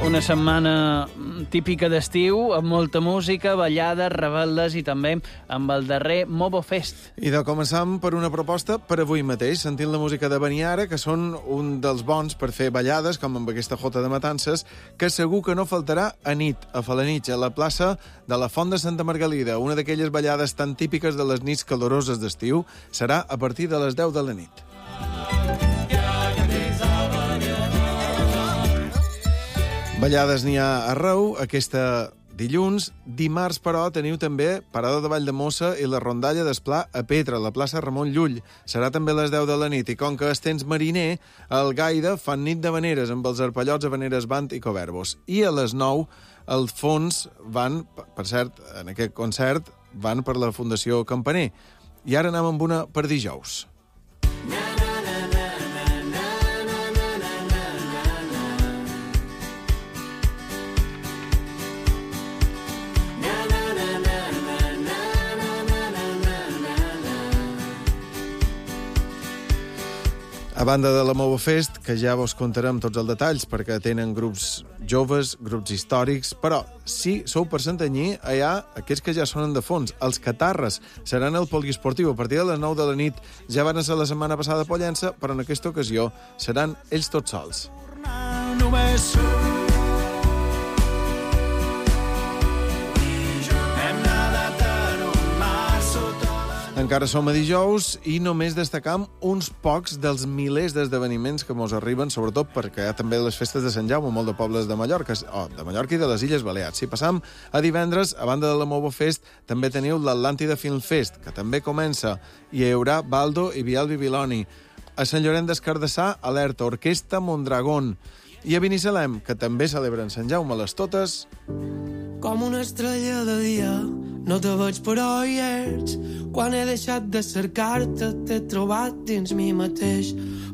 Una setmana típica d'estiu, amb molta música, ballades, rebel·les i també amb el darrer Mobo Fest. I de començam per una proposta per avui mateix, sentint la música de Beniara, que són un dels bons per fer ballades, com amb aquesta jota de matances, que segur que no faltarà a nit, a Falanitx, a la plaça de la Font de Santa Margalida. Una d'aquelles ballades tan típiques de les nits caloroses d'estiu serà a partir de les 10 de la nit. Ballades n'hi ha arreu, aquesta dilluns. Dimarts, però, teniu també Parada de Valldemossa i la rondalla d'Esplà a Petra, a la plaça Ramon Llull. Serà també a les 10 de la nit, i com que és temps mariner, al Gaida fan nit de veneres amb els arpallots, habaneres, band i coverbos. I a les 9, al fons van, per cert, en aquest concert, van per la Fundació Campaner. I ara anem amb una per dijous. A banda de la Mobo Fest, que ja vos contarem tots els detalls, perquè tenen grups joves, grups històrics, però si sou per Santanyí, hi ha aquests que ja sonen de fons. Els Catarres seran el poliesportiu a partir de les 9 de la nit. Ja van ser la setmana passada a Pollença, però en aquesta ocasió seran ells tots sols. Encara som a dijous i només destacam uns pocs dels milers d'esdeveniments que mos arriben, sobretot perquè hi ha també les festes de Sant Jaume, molt de pobles de Mallorca, de Mallorca i de les Illes Balears. Si passam a divendres, a banda de la Mobo Fest, també teniu l'Atlàntida Film Fest, que també comença, i hi haurà Baldo i Bial Bibiloni. A Sant Llorenç des Cardassar, Alerta, Orquestra Mondragón. I a Binissalem, que també celebren Sant Jaume a les totes. Com una estrella de dia, no te veig però hi ets. Quan he deixat de cercar-te, t'he trobat dins mi mateix.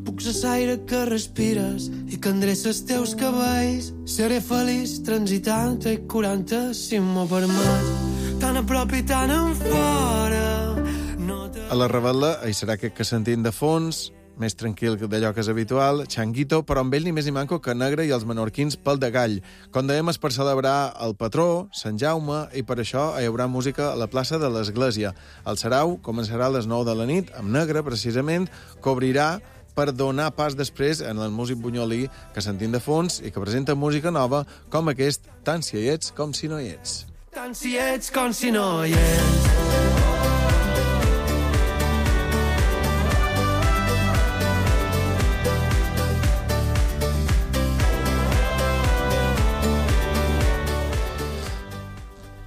Puc ser l'aire que respires i que endreça els teus cabells. Seré feliç transitant i curant-te si m'ho permets. Tan a prop i tan en fora. A la Rebel·la hi serà aquest que sentim de fons, més tranquil d'allò que és habitual, Changuito, però amb ell ni més ni manco que Negre i els menorquins pel de Gall. Com dèiem, és per celebrar el patró, Sant Jaume, i per això hi haurà música a la plaça de l'Església. El sarau començarà a les 9 de la nit, amb Negre, precisament, que obrirà per donar pas després en el músic bunyolí que sentim de fons i que presenta música nova com aquest, tant si hi ets com si no hi ets. Tant si ets com si no hi ets.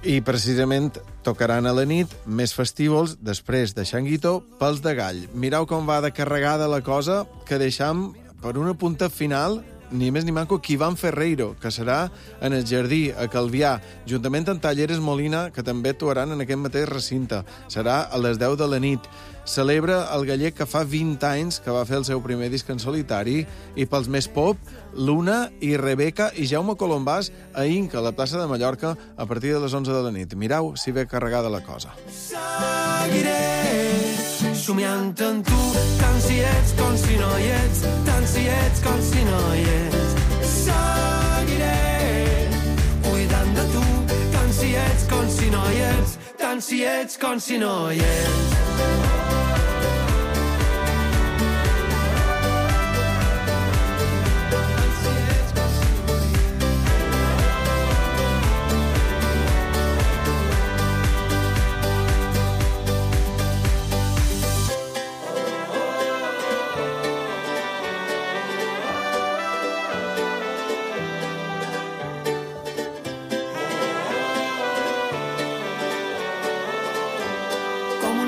I precisament tocaran a la nit més festívols després de Xanguito pels de Gall. Mireu com va de carregada la cosa, que deixam per una punta final ni més ni manco Iván Ferreiro, que serà en el Jardí, a Calvià, juntament amb Talleres Molina, que també actuaran en aquest mateix recinte. Serà a les 10 de la nit. Celebra el gallec que fa 20 anys que va fer el seu primer disc en solitari, i pels més pop, Luna i Rebeca i Jaume Colombàs a Inca, a la plaça de Mallorca, a partir de les 11 de la nit. Mireu si ve carregada la cosa. Seguiré somiant en tu, tant si ets com si no hi ets, tant si ets com si no hi ets. Seguiré cuidant de tu, tant si ets com si no hi ets, tant si ets com si no hi ets.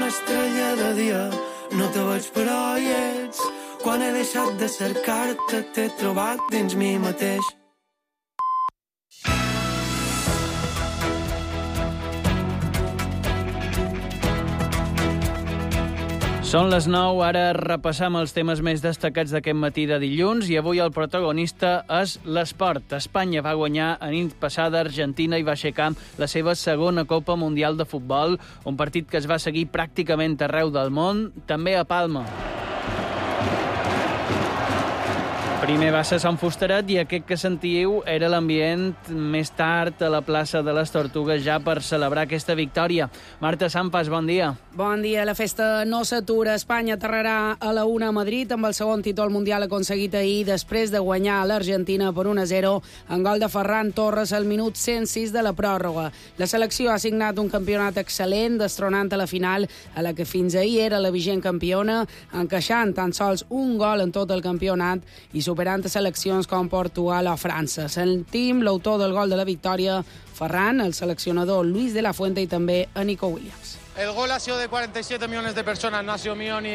Estrella de dia, no te veig però hi ets. Quan he deixat de cercar-te, t'he trobat dins mi mateix. Són les 9, ara repassam els temes més destacats d'aquest matí de dilluns i avui el protagonista és l'esport. Espanya va guanyar a nit passada Argentina i va aixecar la seva segona Copa Mundial de Futbol, un partit que es va seguir pràcticament arreu del món, també a Palma. Primer va ser Sant Fusteret i aquest que sentíeu era l'ambient més tard a la plaça de les Tortugues ja per celebrar aquesta victòria. Marta Sampas, bon dia. Bon dia. La festa no s'atura. Espanya aterrarà a la 1 a Madrid amb el segon títol mundial aconseguit ahir després de guanyar a l'Argentina per 1-0 en gol de Ferran Torres al minut 106 de la pròrroga. La selecció ha signat un campionat excel·lent, destronant a la final a la que fins ahir era la vigent campiona, encaixant tan sols un gol en tot el campionat i superant a seleccions com Portugal o França. Sentim l'autor del gol de la victòria, Ferran, el seleccionador Luis de la Fuente i també a Nico Williams. El gol ha sido de 47 millones de personas, no ha sido mío ni